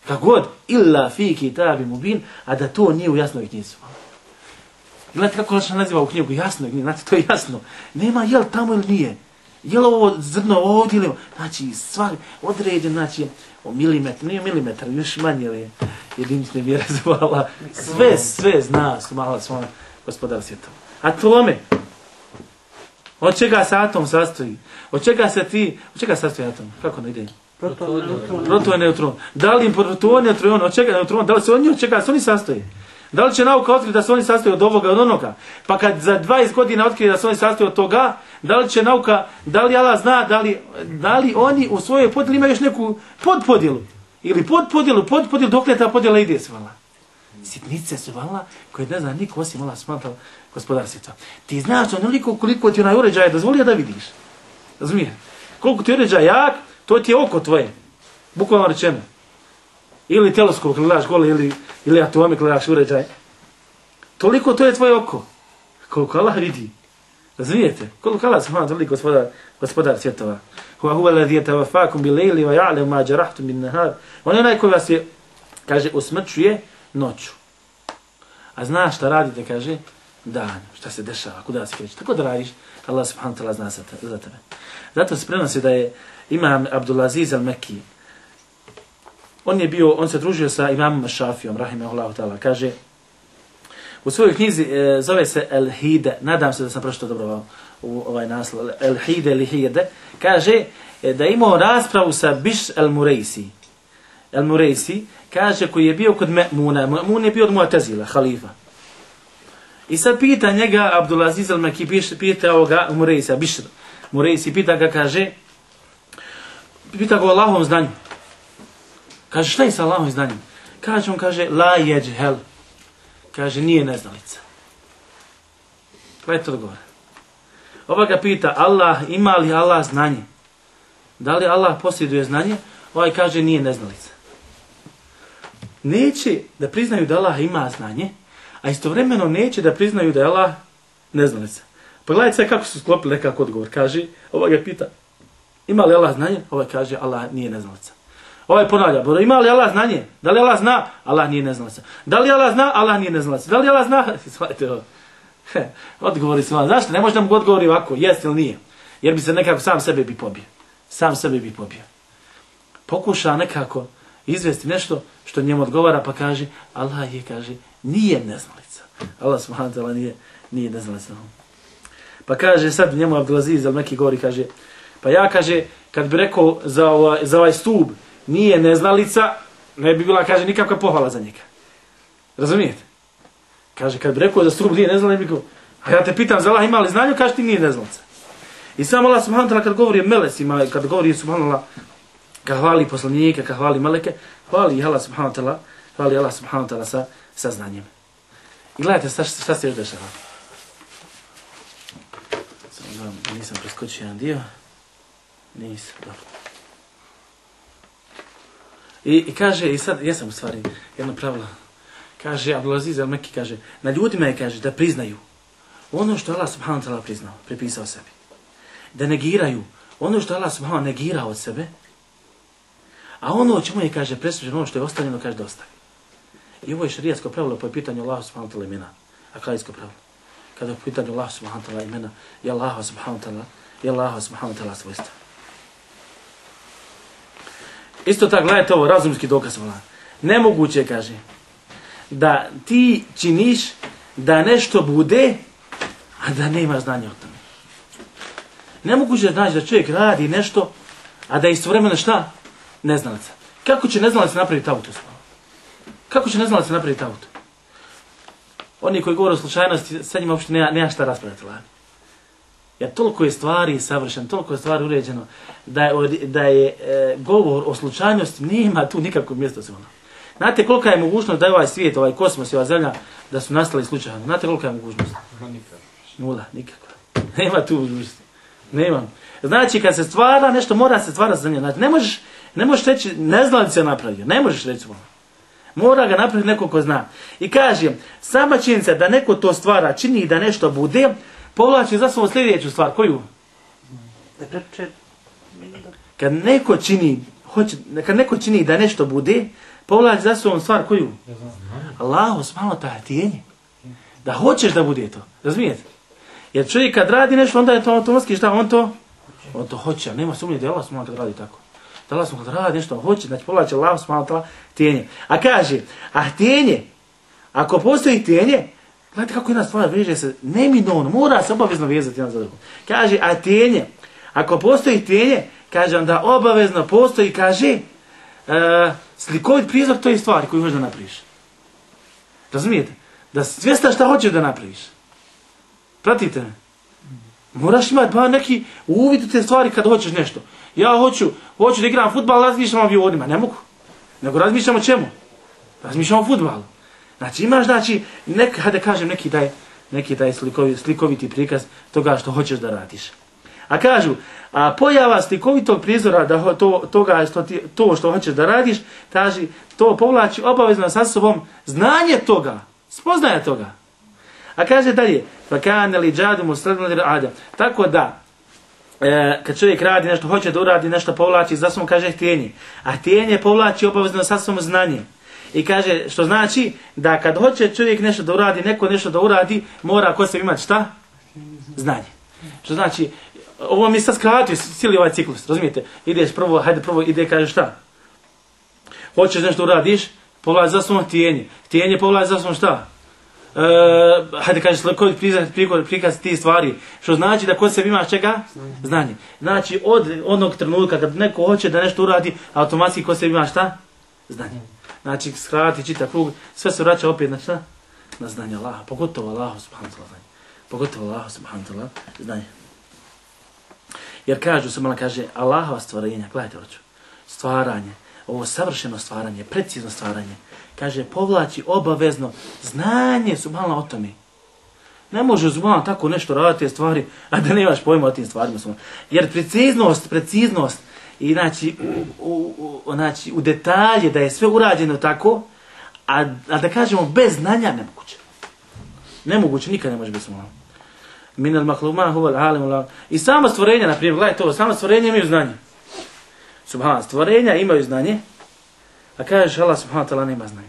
Kako god, illa fi kitabin mubin, a da to nije u jasnoj knjizi. Gledajte kako Allah naziva u knjigu, jasno, znate, to je jasno. Nema jel tamo ili nije. Je li ovo zrno ovdje ili... Znači, svaki određen, znači, o milimetar, nije milimetar, još manje li jedinične mjere zvala. Sve, sve zna, smala svoj gospodar svjetova. Atome. Od čega se atom sastoji? Od čega se ti... Od čega sastoji atom? Kako ne ide? Proton i neutron. Da li im proton i neutron, od čega neutron, da li se oni od čega se oni sastoje? Da li će nauka otkriti da se oni sastoje od ovoga, od onoga? Pa kad za dvadeset godina otkrije da se oni sastoje od toga, da li će nauka, da li Allah zna, da li, da li oni u svojoj podjeli imaju još neku podpodjelu? Ili podpodjelu, podpodjelu, dok li ta podjela ide se vala? Sitnice su vala koje ne zna niko osim Allah smatra gospodar svijeta. Ti znaš onoliko koliko ti onaj uređaj dozvolio da vidiš. Razumije? Koliko ti uređaj jak, to ti je oko tvoje. Bukvalno rečeno. Ili teleskop kad gledaš gole, ili, ili atomi kad gledaš uređaj. Toliko to je tvoje oko. Koliko Allah vidi. Razumijete? Koliko Allah smatra toliko gospodar, gospodar svjetova. Huwa huwa alladhi yatawaffakum bil-layli wa ya'lamu ma jarahtum bin-nahar. On je onaj koji vas je, kaže, usmrćuje noću. A znaš šta radite, kaže, dan, šta se dešava, kuda se kreće. Tako da radiš, Allah subhanahu wa ta'ala zna za tebe. Zato se prenosi da je imam Abdulaziz al-Mekki, on je bio, on se družio sa imamom Šafijom, rahimahullahu ta'ala, kaže, u svojoj knjizi e, zove se El-Hide, nadam se da sam pročitao dobro u ovaj naslov, El-Hide ili Hide, kaže e, da je imao raspravu sa Biš el-Murejsi. El-Murejsi, kaže, koji je bio kod Me'muna, Me'mun je bio od Mu'tazila, halifa. I sad pita njega, Abdulaziz al-Mekki, pita ovoga Murejsa, Biš Murejsi, pita ga, kaže, pita ga o Allahovom znanju. Kaže, šta je sa Allahovim znanjem? Kaže, on kaže, la jeđhel. Kaže, nije neznalica. Gledajte odgovor. Ova ga pita, Allah, ima li Allah znanje? Da li Allah posjeduje znanje? Ovaj kaže, nije neznalica. Neće da priznaju da Allah ima znanje, a istovremeno neće da priznaju da je Allah neznalica. Pogledajte sve kako su sklopili nekako odgovor. Kaže, ova ga pita, ima li Allah znanje? Ovaj kaže, Allah nije neznalica. Ovaj ponavlja, bro, ima li Allah znanje? Da li Allah zna? Allah nije neznalica. Da li Allah zna? Allah nije neznalica. Da li Allah zna? Svalite ovo. Odgovori su vam. Zašto? Ne može da mu odgovori ovako, jest ili nije. Jer bi se nekako sam sebe bi pobio. Sam sebe bi pobio. Pokuša nekako izvesti nešto što njemu odgovara, pa kaže, Allah je, kaže, nije neznalica. Allah subhanahu wa ta'ala nije, nije neznalica. Pa kaže, sad njemu Abdulaziz, ali neki govori, kaže, pa ja, kaže, kad bi rekao za ovaj, za ovaj stub, nije neznalica, ne bi bila, kaže, nikakva pohvala za njega. Razumijete? Kaže, kad bi rekao za stub nije neznalica, ne bi rekao, a ja te pitam za Allah ima li znanju, kaže ti nije neznalica. I sam Allah subhanahu wa ta'ala kad govori o melesima, kad govori subhanahu wa ta'ala, kad hvali poslanike, kad hvali meleke, hvali Allah subhanahu wa ta'ala, hvali Allah subhanahu wa ta'ala sa, sa znanjem. I gledajte šta, šta se još dešava. Sam, nisam preskočio jedan dio. Nisam, dobro. I, I kaže, i sad, jesam u stvari, jedno pravilo. Kaže, Abdulaziz al-Mekki kaže, na ljudima je, kaže, da priznaju ono što Allah subhanahu wa ta'ala priznao, pripisao sebi. Da negiraju ono što Allah subhanahu wa ta'ala negirao od sebe, a ono o čemu je, kaže, presuđeno, ono što je ostavljeno, kaže, da ostavi. I ovo je šarijatsko pravilo po pitanju Allah subhanahu wa ta'ala imena, akajsko pravilo. Kada je po pitanju Allah subhanahu wa ta'ala imena, je Allah subhanahu wa ta'ala, je Allah subhanahu wa ta'ala svojstva. Isto tako, gledajte ovo, razumski dokaz. Nemoguće, kaže, da ti činiš da nešto bude, a da nema znanja o tome. Nemoguće znači da čovjek radi nešto, a da je istovremeno šta? Neznalica. Kako će neznalica napraviti auto? Kako će neznalica napraviti auto? Oni koji govore o slučajnosti, sad njima uopšte nema, nema šta raspravljati. Jer toliko je stvari savršeno, toliko je stvari uređeno, da je, da je e, govor o slučajnosti, nema tu nikakvog mjesta se ono. Znate kolika je mogućnost da je ovaj svijet, ovaj kosmos i ova zemlja, da su nastali slučajno? Znate kolika je mogućnost? Nula, nikakva. Nema tu mogućnosti. Nema. Znači kad se stvara nešto, mora se stvara zemlja. Znači ne možeš, ne možeš reći, ne zna li se napravio, ne možeš reći ono. Mora ga napraviti neko ko zna. I kažem, sama činjenica da neko to stvara, čini da nešto bude, povlači za svoju sljedeću stvar. Koju? Kad neko čini, hoće, kad neko čini da nešto bude, povlači za svoju stvar. Koju? Allahu subhanahu wa ta'ala tijenje. Da hoćeš da bude to. Razumijete? Jer čovjek kad radi nešto, onda je to automatski šta? On to? On to hoće. Nema sumnje da je Allah subhanahu wa ta'ala kad radi tako. Da Allah subhanahu wa ta'ala radi nešto, on hoće. Znači povlači Allah subhanahu wa ta'ala tijenje. A kaže, a tijenje, ako postoji tijenje, gledajte kako jedna stvar veže se neminovno, mora se obavezno vezati jedan za drugom. Kaže, a tijenje, ako postoji tijenje, kaže onda obavezno postoji, kaže, uh, slikovit prizor toj stvari koju možeš da napraviš. Razumijete? Da svjesna šta hoćeš da napraviš. Pratite me? Moraš imati pa neki uvid u te stvari kad hoćeš nešto. Ja hoću, hoću da igram fudbal, razmišljam o avionima. Ne mogu. Nego razmišljam o čemu? Razmišljam o fudbalu. Znači imaš, znači, nek, hajde kažem, neki taj, neki taj slikovi, slikoviti prikaz toga što hoćeš da radiš. A kažu, a pojava slikovitog prizora da to, toga što ti, to što hoćeš da radiš, taži, to povlači obavezno sa sobom znanje toga, spoznaje toga. A kaže dalje, pa kane li džadu mu sredno ada. Tako da, e, kad čovjek radi nešto, hoće da uradi nešto, povlači za sobom, kaže htjenje. A htjenje povlači obavezno sa sobom znanje. I kaže, što znači da kad hoće čovjek nešto da uradi, neko nešto da uradi, mora kod sebe imati šta? Znanje. Što znači, ovo mi sad skratio cijeli ovaj ciklus, razumijete? Ideš prvo, hajde prvo, ide kaže šta? Hoćeš nešto uradiš, povlači za sobom htjenje. Htjenje povlači za sobom šta? Uh, hajde kažeš koji prikaz, prikaz ti stvari, što znači da kod sebe imaš čega? Znanje. Znači od onog trenutka kad neko hoće da nešto uradi, automatski kod sebe imaš šta? Znanje. Znači skrati, čita krug, sve se vraća opet na šta? Na znanje Allaha, pogotovo Allahu subhanahu wa ta'ala. Pogotovo Allahu subhanahu wa ta'ala, znanje. Jer kažu se malo kaže Allahova stvorenja, gledajte hoću, stvaranje, ovo savršeno stvaranje, precizno stvaranje, kaže povlači obavezno znanje subhanallah o tome. Ne može subhanallah tako nešto raditi te stvari, a da nemaš pojma o tim stvarima. Jer preciznost, preciznost i znači u, u, u, znači u detalje da je sve urađeno tako, a, a da kažemo bez znanja nemoguće. Nemoguće, nikad ne može biti subhanallah. Min al-mahluma huwa al-alim. I samo stvorenja, na primjer, gledajte ovo, samo stvorenja imaju znanje. Subhanallah, stvorenja imaju znanje, a kažeš Allah subhanahu wa ta'ala nema znanje.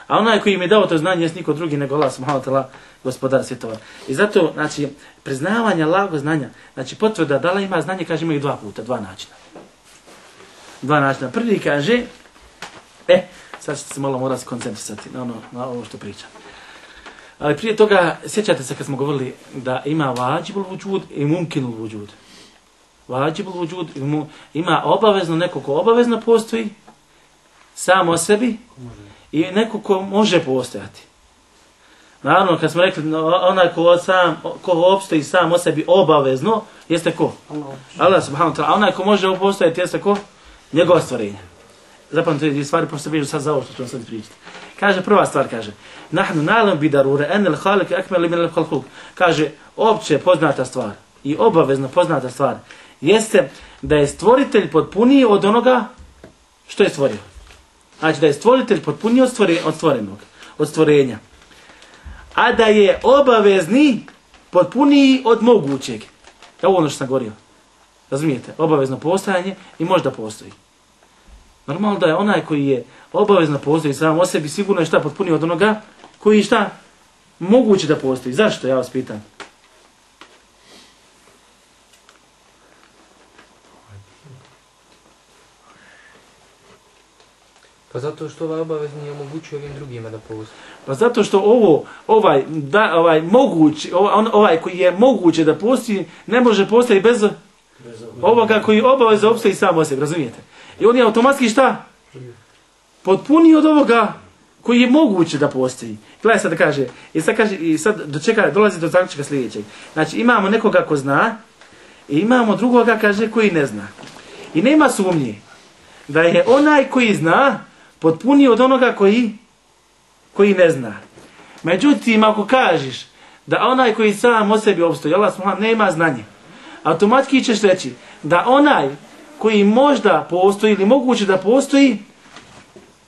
A onaj koji im je dao to znanje jest niko drugi nego Allah subhanahu wa ta'ala, gospodar svjetova. I zato, znači, priznavanje Allahovog znanja, znači potvrda da Allah ima znanje, kaže imaju dva puta, dva načina. Dva načina. Prvi kaže, e, sad ćete se malo morati koncentrisati na ono, na ovo što pričam. Ali prije toga, sjećate se kad smo govorili da ima vađibul vudžud i mumkinul vudžud. Vađibul vudžud ima obavezno neko ko obavezno postoji, sam o sebi, i neko ko može postojati. Naravno, kad smo rekli, onaj ko, sam, ko opstoji sam o sebi obavezno, jeste ko? Allah subhanahu wa ta'ala. A onaj ko može postojati, jeste ko? Njegova stvorenja. Zapamte dvije stvari, pošto se vežu sad za ovo što ću vam sad pričati. Kaže, prva stvar kaže, nahnu na'lam bi darure en el khaliq akmal min al khalq. Kaže, opće poznata stvar i obavezno poznata stvar jeste da je stvoritelj potpuniji od onoga što je stvorio. Znači da je stvoritelj potpuniji od, stvore, od stvorenog, od stvorenja. A da je obavezni potpuniji od mogućeg. Ovo ono što sam govorio. Razumijete? Obavezno postojanje i možda postoji. Normalno da je onaj koji je obavezno postoji sam o sebi sigurno je šta potpuniji od onoga koji je šta moguće da postoji. Zašto? Ja vas pitam. Pa zato što ovaj obavezni omogućuje ovim drugima da postoji. Pa zato što ovo, ovaj, da, ovaj, moguć, ovaj, ovaj koji je moguće da postoji, ne može postati bez, bez ovoga koji obaveza opstoji sam o sebi, razumijete? I on je automatski šta? Potpuniji od ovoga koji je moguće da postoji. Gledaj sad da kaže, i sad, kaže, i sad do čeka, dolazi do zaključka sljedećeg. Znači imamo nekoga ko zna, i imamo drugoga kaže koji ne zna. I nema sumnje da je onaj koji zna potpuniji od onoga koji, koji ne zna. Međutim, ako kažeš da onaj koji sam o sebi opstoji, Allah subhanahu nema znanje, automatski ćeš reći da onaj koji možda postoji ili moguće da postoji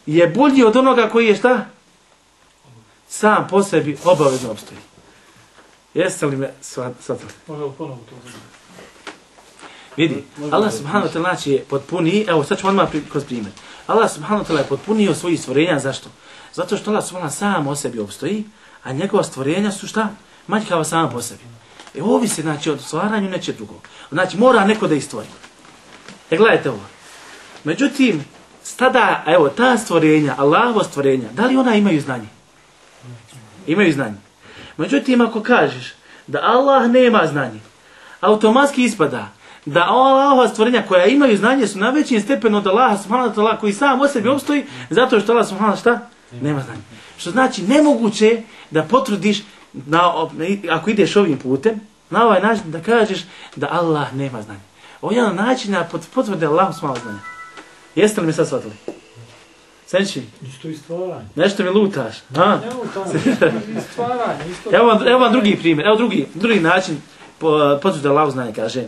je bolji od onoga koji je šta? Sam po sebi obavezno opstoji. Jeste li me shvatili? Može ponovo to. Vidi, Allah subhanahu wa ta'ala je potpuniji, evo sad ću odmah kroz primjer. Allah subhanahu wa ta'ala je potpunio svojih stvorenja, zašto? Zato što Allah subhanahu sam o sebi opstoji, a njegova stvorenja su šta? Manjkava sama po sebi. E ovi se, znači, od stvaranju neće drugo. Znači, mora neko da ih stvori. E gledajte ovo. Međutim, tada, evo, ta stvorenja, Allahovo stvorenja, da li ona imaju znanje? Imaju znanje. Međutim, ako kažeš da Allah nema znanje, automatski ispada da Allahova stvorenja koja imaju znanje su na većim stepenu od Allaha subhanahu wa ta'ala koji sam o sebi opstoji zato što Allah subhanahu šta? Nema znanje. Što znači nemoguće da potvrdiš na, ako ideš ovim putem na ovaj način da kažeš da Allah nema znanje. Ovo je jedan način da potvrde Allahu subhanahu znanje. Jeste li mi sad shvatili? Senči? Isto i stvaranje. Nešto mi lutaš. A? Ne lutanje, i stvaranje. Isto Evo vam, evo vam drugi primjer, evo drugi, drugi način potvrde Allahu znanje kaže.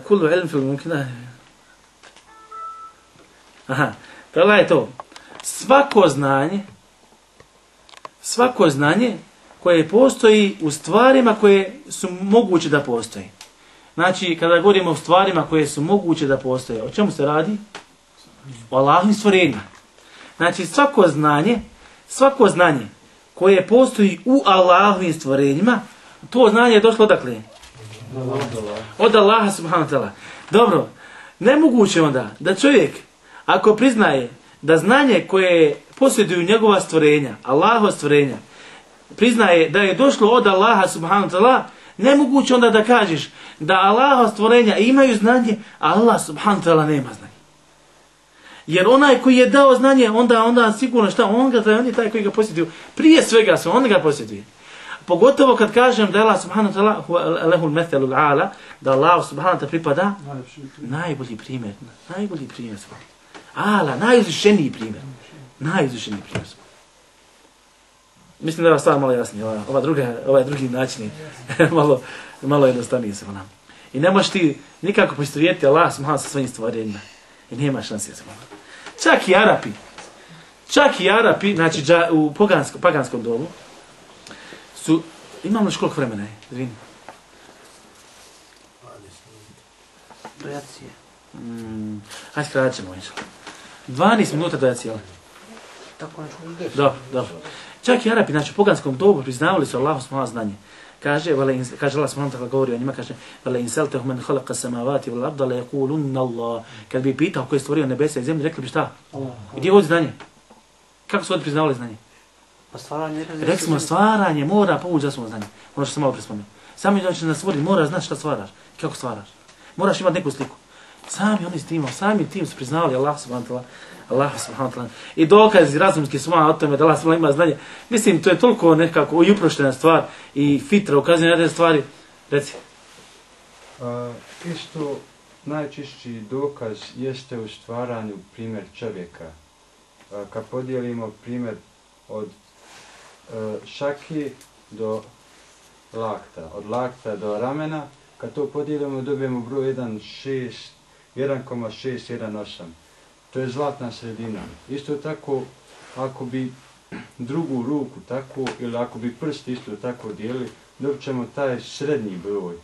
Kullu ilm fil mumkina. Aha, prela je to. Svako znanje, svako znanje koje postoji u stvarima koje su moguće da postoji. Znači, kada govorimo o stvarima koje su moguće da postoje, o čemu se radi? O Allahovim stvorenjima. Znači, svako znanje, svako znanje koje postoji u Allahovim stvorenjima, to znanje je došlo odakle? Od Allaha subhanahu wa ta'ala. Dobro, nemoguće onda da čovjek, ako priznaje da znanje koje posjeduju njegova stvorenja, Allahova stvorenja, priznaje da je došlo od Allaha subhanahu wa ta'ala, nemoguće onda da kažeš da Allahova stvorenja imaju znanje, a Allah subhanahu wa ta'ala nema znanje. Jer onaj koji je dao znanje, onda onda sigurno šta, on, ga, on je taj koji ga posjeduju. Prije svega su, on ga posjeduje. Pogotovo kad kažem da Allah subhanahu wa ta'ala lehul methelul a'la, da Allah subhanahu wa ta'ala pripada najbolji primjer. Najbolji primjer svoj. Ala, najuzvišeniji primjer. Najuzvišeniji primjer svoj. Mislim da je ova stvar malo jasnija. Ova, ova druga, ovaj drugi način je malo, malo jednostavniji se nam. I ne možeš ti nikako poistovjetiti Allah subhanahu sa svojim stvorenjima. I nema šanse se nam. Čak i Arapi, čak i Arapi, znači u poganskom, paganskom domu, su, imamo još koliko vremena je? Zvini. Dojacije. Mm, hajde skratit ćemo. dvanaest minuta dojacije. Tako nešto. Dobro, dobro. Čak i Arapi, znači u poganskom dobu priznavali su Allahu subhanahu znanje. Kaže, vale, kaže Allah subhanahu ta'ala govori o njima, kaže, vale inseltehum men khalaqa samavati wal arda la yaqulunna Allah. Kad bi pitao ko je stvorio nebesa i zemlju, rekli bi šta? Allah. Gdje je ovo znanje? Kako su oni priznavali znanje? Pa stvaranje... Rekli smo, stvaranje mora povući za svoje znanje. Ono što sam malo prespomenuo. Sami znači nas stvori, mora znati šta stvaraš. Kako stvaraš. Moraš imati neku sliku. Sami oni s timom, sami tim su priznavali Allah subhanahu ta'ala. Allah subhanahu ta'ala. I dokazi razumski su malo o tome da Allah subhanahu ima znanje. Mislim, to je toliko nekako i uproštena stvar i fitra ukazuje na te stvari. Reci. Uh, isto najčišći dokaz jeste u stvaranju primjer čovjeka. Uh, kad podijelimo primjer od uh, šaki do lakta, od lakta do ramena, kad to podijelimo dobijemo broj jedan zarez šest jedan osam. To je zlatna sredina. Isto tako, ako bi drugu ruku tako, ili ako bi prst isto tako dijeli, dobit ćemo taj srednji broj.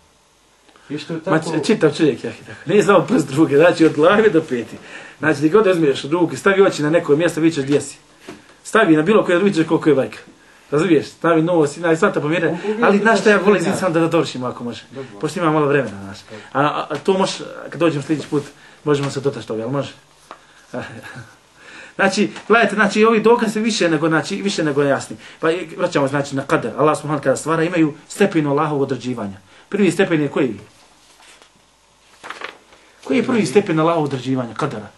Isto tako... Ma čitav čovjek, ja tako. Nije samo prst druge, znači od glave do peti. Znači, ti god uzmiješ ruke, stavi oči na neko mjesto, vidjet ćeš gdje si. Stavi na bilo koje, vidjet ćeš koliko je vajka. Razumiješ? Stavi nos, i sva ta pomjera. Ali znaš šta ja volim zim sam da da dovršimo ako može. Pošto ima malo vremena, znaš. A, a, a to može, kad dođemo sljedeći put, možemo se dotaći toga, ali može? Znači, gledajte, znači ovi dokaze više nego znači više nego jasni. Pa vraćamo znači na kader. Allah subhanahu kada stvara imaju stepen Allahovog određivanja. Prvi stepen je koji? Koji je prvi stepen Allahovog određivanja kadera?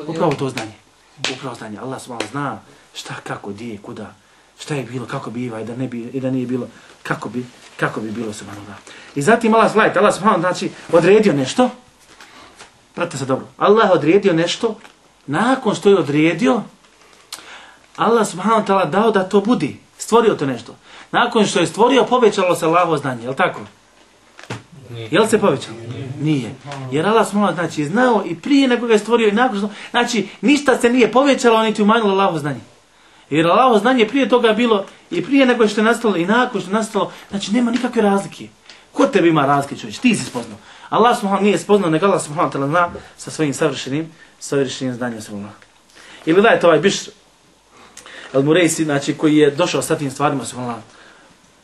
Upravo to znanje. Upravo znanje. Allah subhanahu zna šta, kako, gdje, kuda, šta je bilo, kako biva i da ne bi i da nije bilo, kako bi kako bi bilo subhanahu. I zatim Allah subhanahu Allah subhanahu znači odredio nešto. Pratite se dobro. Allah odredio nešto. Nakon što je odredio, Allah subhanahu wa ta'ala dao da to budi. Stvorio to nešto. Nakon što je stvorio, povećalo se Allahovo znanje. Je li tako? Nije. Je li se povećalo? Nije. Nije. Jer Allah subhanahu wa ta'ala znači znao i prije nego ga je stvorio i nakon što... Znači, ništa se nije povećalo, niti umanjilo Allahovo znanje. Jer Allahovo znanje prije toga bilo i prije nego što je nastalo i nakon što je nastalo. Znači, nema nikakve razlike. Ko tebi ima razlike, čovječ? Ti si spoznao. Allah subhanahu nije spoznao, nego Allah subhanahu wa ta'ala zna sa svojim savršenim savršenim znanjem subhanallah. Ili dajte ovaj Biš al-Murejsi, znači koji je došao sa tim stvarima subhanallah.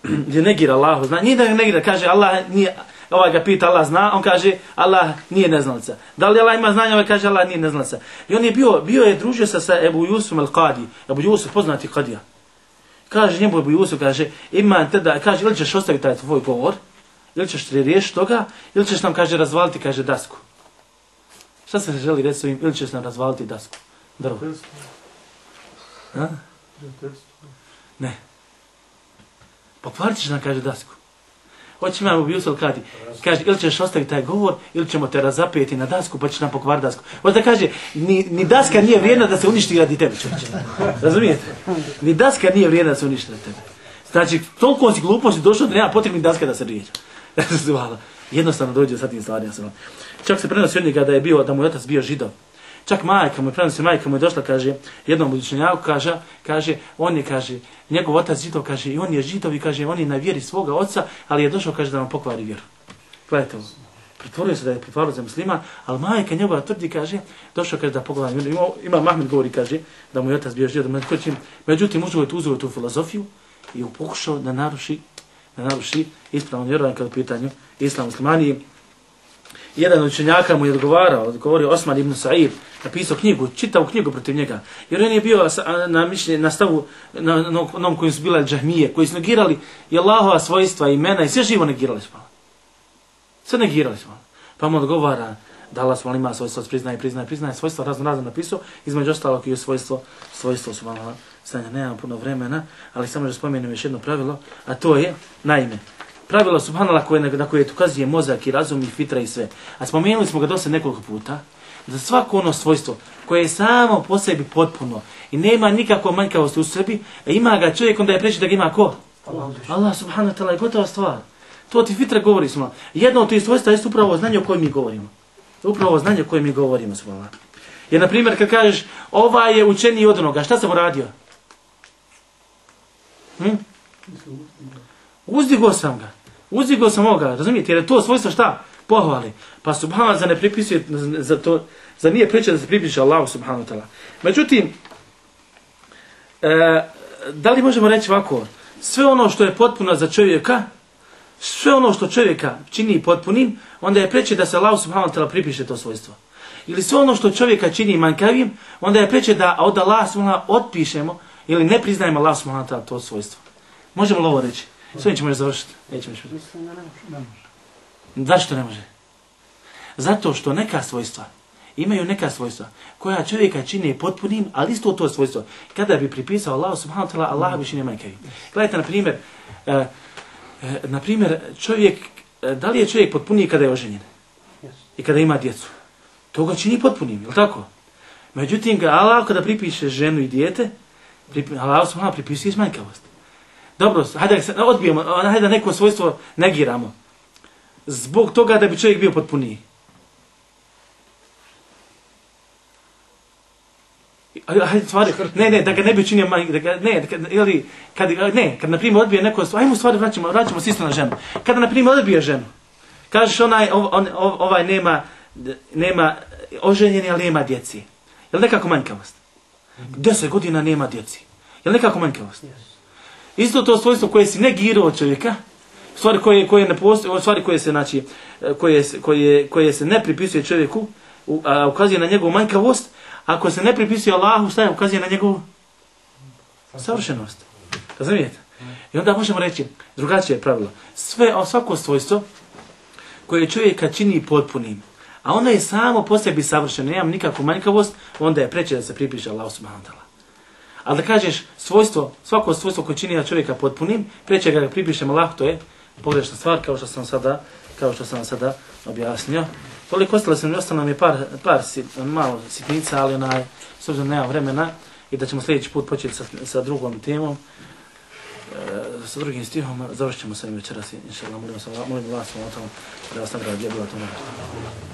Gdje negira Allahu zna, nije da ga negira, kaže Allah nije, ovaj ga pita Allah zna, on kaže Allah nije neznalica. Da li Allah ima znanje, ovaj kaže Allah nije neznalica. I on je bio, bio je družio se sa Ebu Jusufom al-Qadi, Ebu Jusuf poznati Qadija. Kaže njemu Ebu Jusuf, kaže ima te da, kaže ili ćeš ostaviti taj tvoj govor, Ili ćeš riješiti toga, ili ćeš nam, kaže, razvaliti, kaže, dasku. Šta se želi reći svojim, ili ćeš nam razvaliti dasku? Drvo. Ha? Ne. Pokvarit ćeš nam, kaže, dasku. Hoće imamo bi Jusel kati, kaže, ili ćeš ostaviti taj govor, ili ćemo te razapeti na dasku, pa ćeš nam pokvariti dasku. Hoće da kaže, ni, ni daska nije vrijedna da se uništi radi tebe, čovječe. Razumijete? Ni daska nije vrijedna da se uništi radi tebe. Znači, toliko si gluposti došlo da nema potrebnih daska da se rijeđa. Jednostavno dođe sa tim stvarima. Čak se prenosi od njega da je bio, da mu je otac bio Židov. Čak majka mu je prenosi, majka mu je došla, kaže, jednom učenjaku, kaže, kaže, on je, kaže, njegov otac Židov, kaže, i on je Židov i kaže, on je na vjeri svoga oca, ali je došao, kaže, da vam pokvari vjeru. Gledajte ovo. Pretvorio se da je pretvorio za muslima, ali majka njegova tvrdi, kaže, došao, kaže, da pokvari vjeru. Ima, ima Mahmed govori, kaže, da mu je otac bio Židov. Međutim, uzeo je tu, uzeo tu filozofiju i pokušao da naruši, da naruši ispravno vjerovanje kada u pitanju islam muslimani. Jedan od učenjaka mu je odgovarao, govorio Osman ibn Sa'id, napisao knjigu, čitavu knjigu protiv njega. Jer on je bio na mišljenju, na stavu, na onom kojim su bila džahmije, koji su negirali i Allahova svojstva, imena i sve živo negirali smo. Sve negirali smo. Pa mu odgovara da Allah smo ima svojstvo, priznaje, priznaje, priznaje, svojstvo razno razno napisao, između ostalog i svojstvo, svojstvo su malo stanja, nemam puno vremena, ali samo da spomenem još jedno pravilo, a to je, naime, pravilo subhanallah koje, na koje ukazuje mozak i razum i fitra i sve. A spomenuli smo ga dosta nekoliko puta, da svako ono svojstvo koje je samo po sebi potpuno i nema nikakve manjkavosti u sebi, a ima ga čovjek onda je preći da ga ima ko? Allah, Allah subhanahu wa ta'ala je gotova stvar. To ti fitra govori smo. Jedno od tih svojstva je upravo znanje o kojem mi govorimo. Upravo znanje o kojem mi govorimo subhanallah. Jer na primjer kad kažeš ovaj je učeniji od onoga, šta sam uradio? Hm? Uzdigo sam ga. Uzdigo sam ovoga, razumijete? Jer je to svojstvo šta? Pohvali. Pa subhanallah za ne pripisuje, za to, za nije priča da se pripiše Allahu subhanahu wa ta'ala. Međutim, e, da li možemo reći ovako? Sve ono što je potpuno za čovjeka, sve ono što čovjeka čini potpunim, onda je preče da se Allahu subhanahu wa ta'ala pripiše to svojstvo. Ili sve ono što čovjeka čini manjkavim, onda je preče da od Allah subhanahu otpišemo ili ne priznajemo Allah subhanahu wa ta'ala to svojstvo. Možemo li ovo reći? S ovim ćemo još završiti. Nećemo još Mislim da ne može. Zašto ne može? Zato što neka svojstva, imaju neka svojstva koja čovjeka čini potpunim, ali isto to svojstvo. Kada bi pripisao Allah subhanahu wa ta'ala, Allah bi čini manjkavim. Gledajte, na primjer, uh, uh, na primjer, čovjek, uh, da li je čovjek potpuniji kada je oženjen? I kada ima djecu? To ga čini potpunim, je li tako? Međutim, Allah kada pripiše ženu i dijete, pripi, Allah subhanahu pripisuje manjkavost. Dobro, hajde da se odbijemo, hajde da neko svojstvo negiramo. Zbog toga da bi čovjek bio potpuniji. Hajde, stvari, ne, ne, da ga ne bi učinio manj, da ga, ne, da ga, ili, kad, ne, kad na primjer odbije neko, ajmo stvari, vraćamo, vraćamo se isto na ženu. Kada na primjer odbije ženu, kažeš onaj, ov, on, ov, ovaj nema, nema oženjeni, ali nema djeci. Je li nekako manjkavost? Deset godina nema djeci. Je li nekako manjkavost? Isto to svojstvo koje si negirao od čovjeka, stvari koje, koje ne postoje, stvari koje se, znači, koje, koje, koje se ne pripisuje čovjeku, a ukazuje na njegovu manjkavost, ako se ne pripisuje Allahu, šta je ukazuje na njegovu savršenost. Razumijete? I onda možemo reći, drugačije pravilo, sve, svako svojstvo koje čovjeka čini potpunim, a ono je samo po sebi savršeno, nema nikakvu manjkavost, onda je preče da se pripiše Allahu subhanahu wa ta'ala. Ali da kažeš svojstvo, svako svojstvo koje čini čovjeka potpunim, preče ga pripišemo Allahu, to je pogrešna stvar, kao što sam sada, kao što sam sada objasnio. Toliko ostalo sam, ostalo nam je par, par sit, malo sitnica, ali onaj, s obzirom nema vremena i da ćemo sljedeći put početi sa, sa drugom temom, e, sa drugim stihom, završit ćemo sa ovim večeras, inša Allah, molim vas, molim vas, da vas nagradi, gdje bila to nagradi.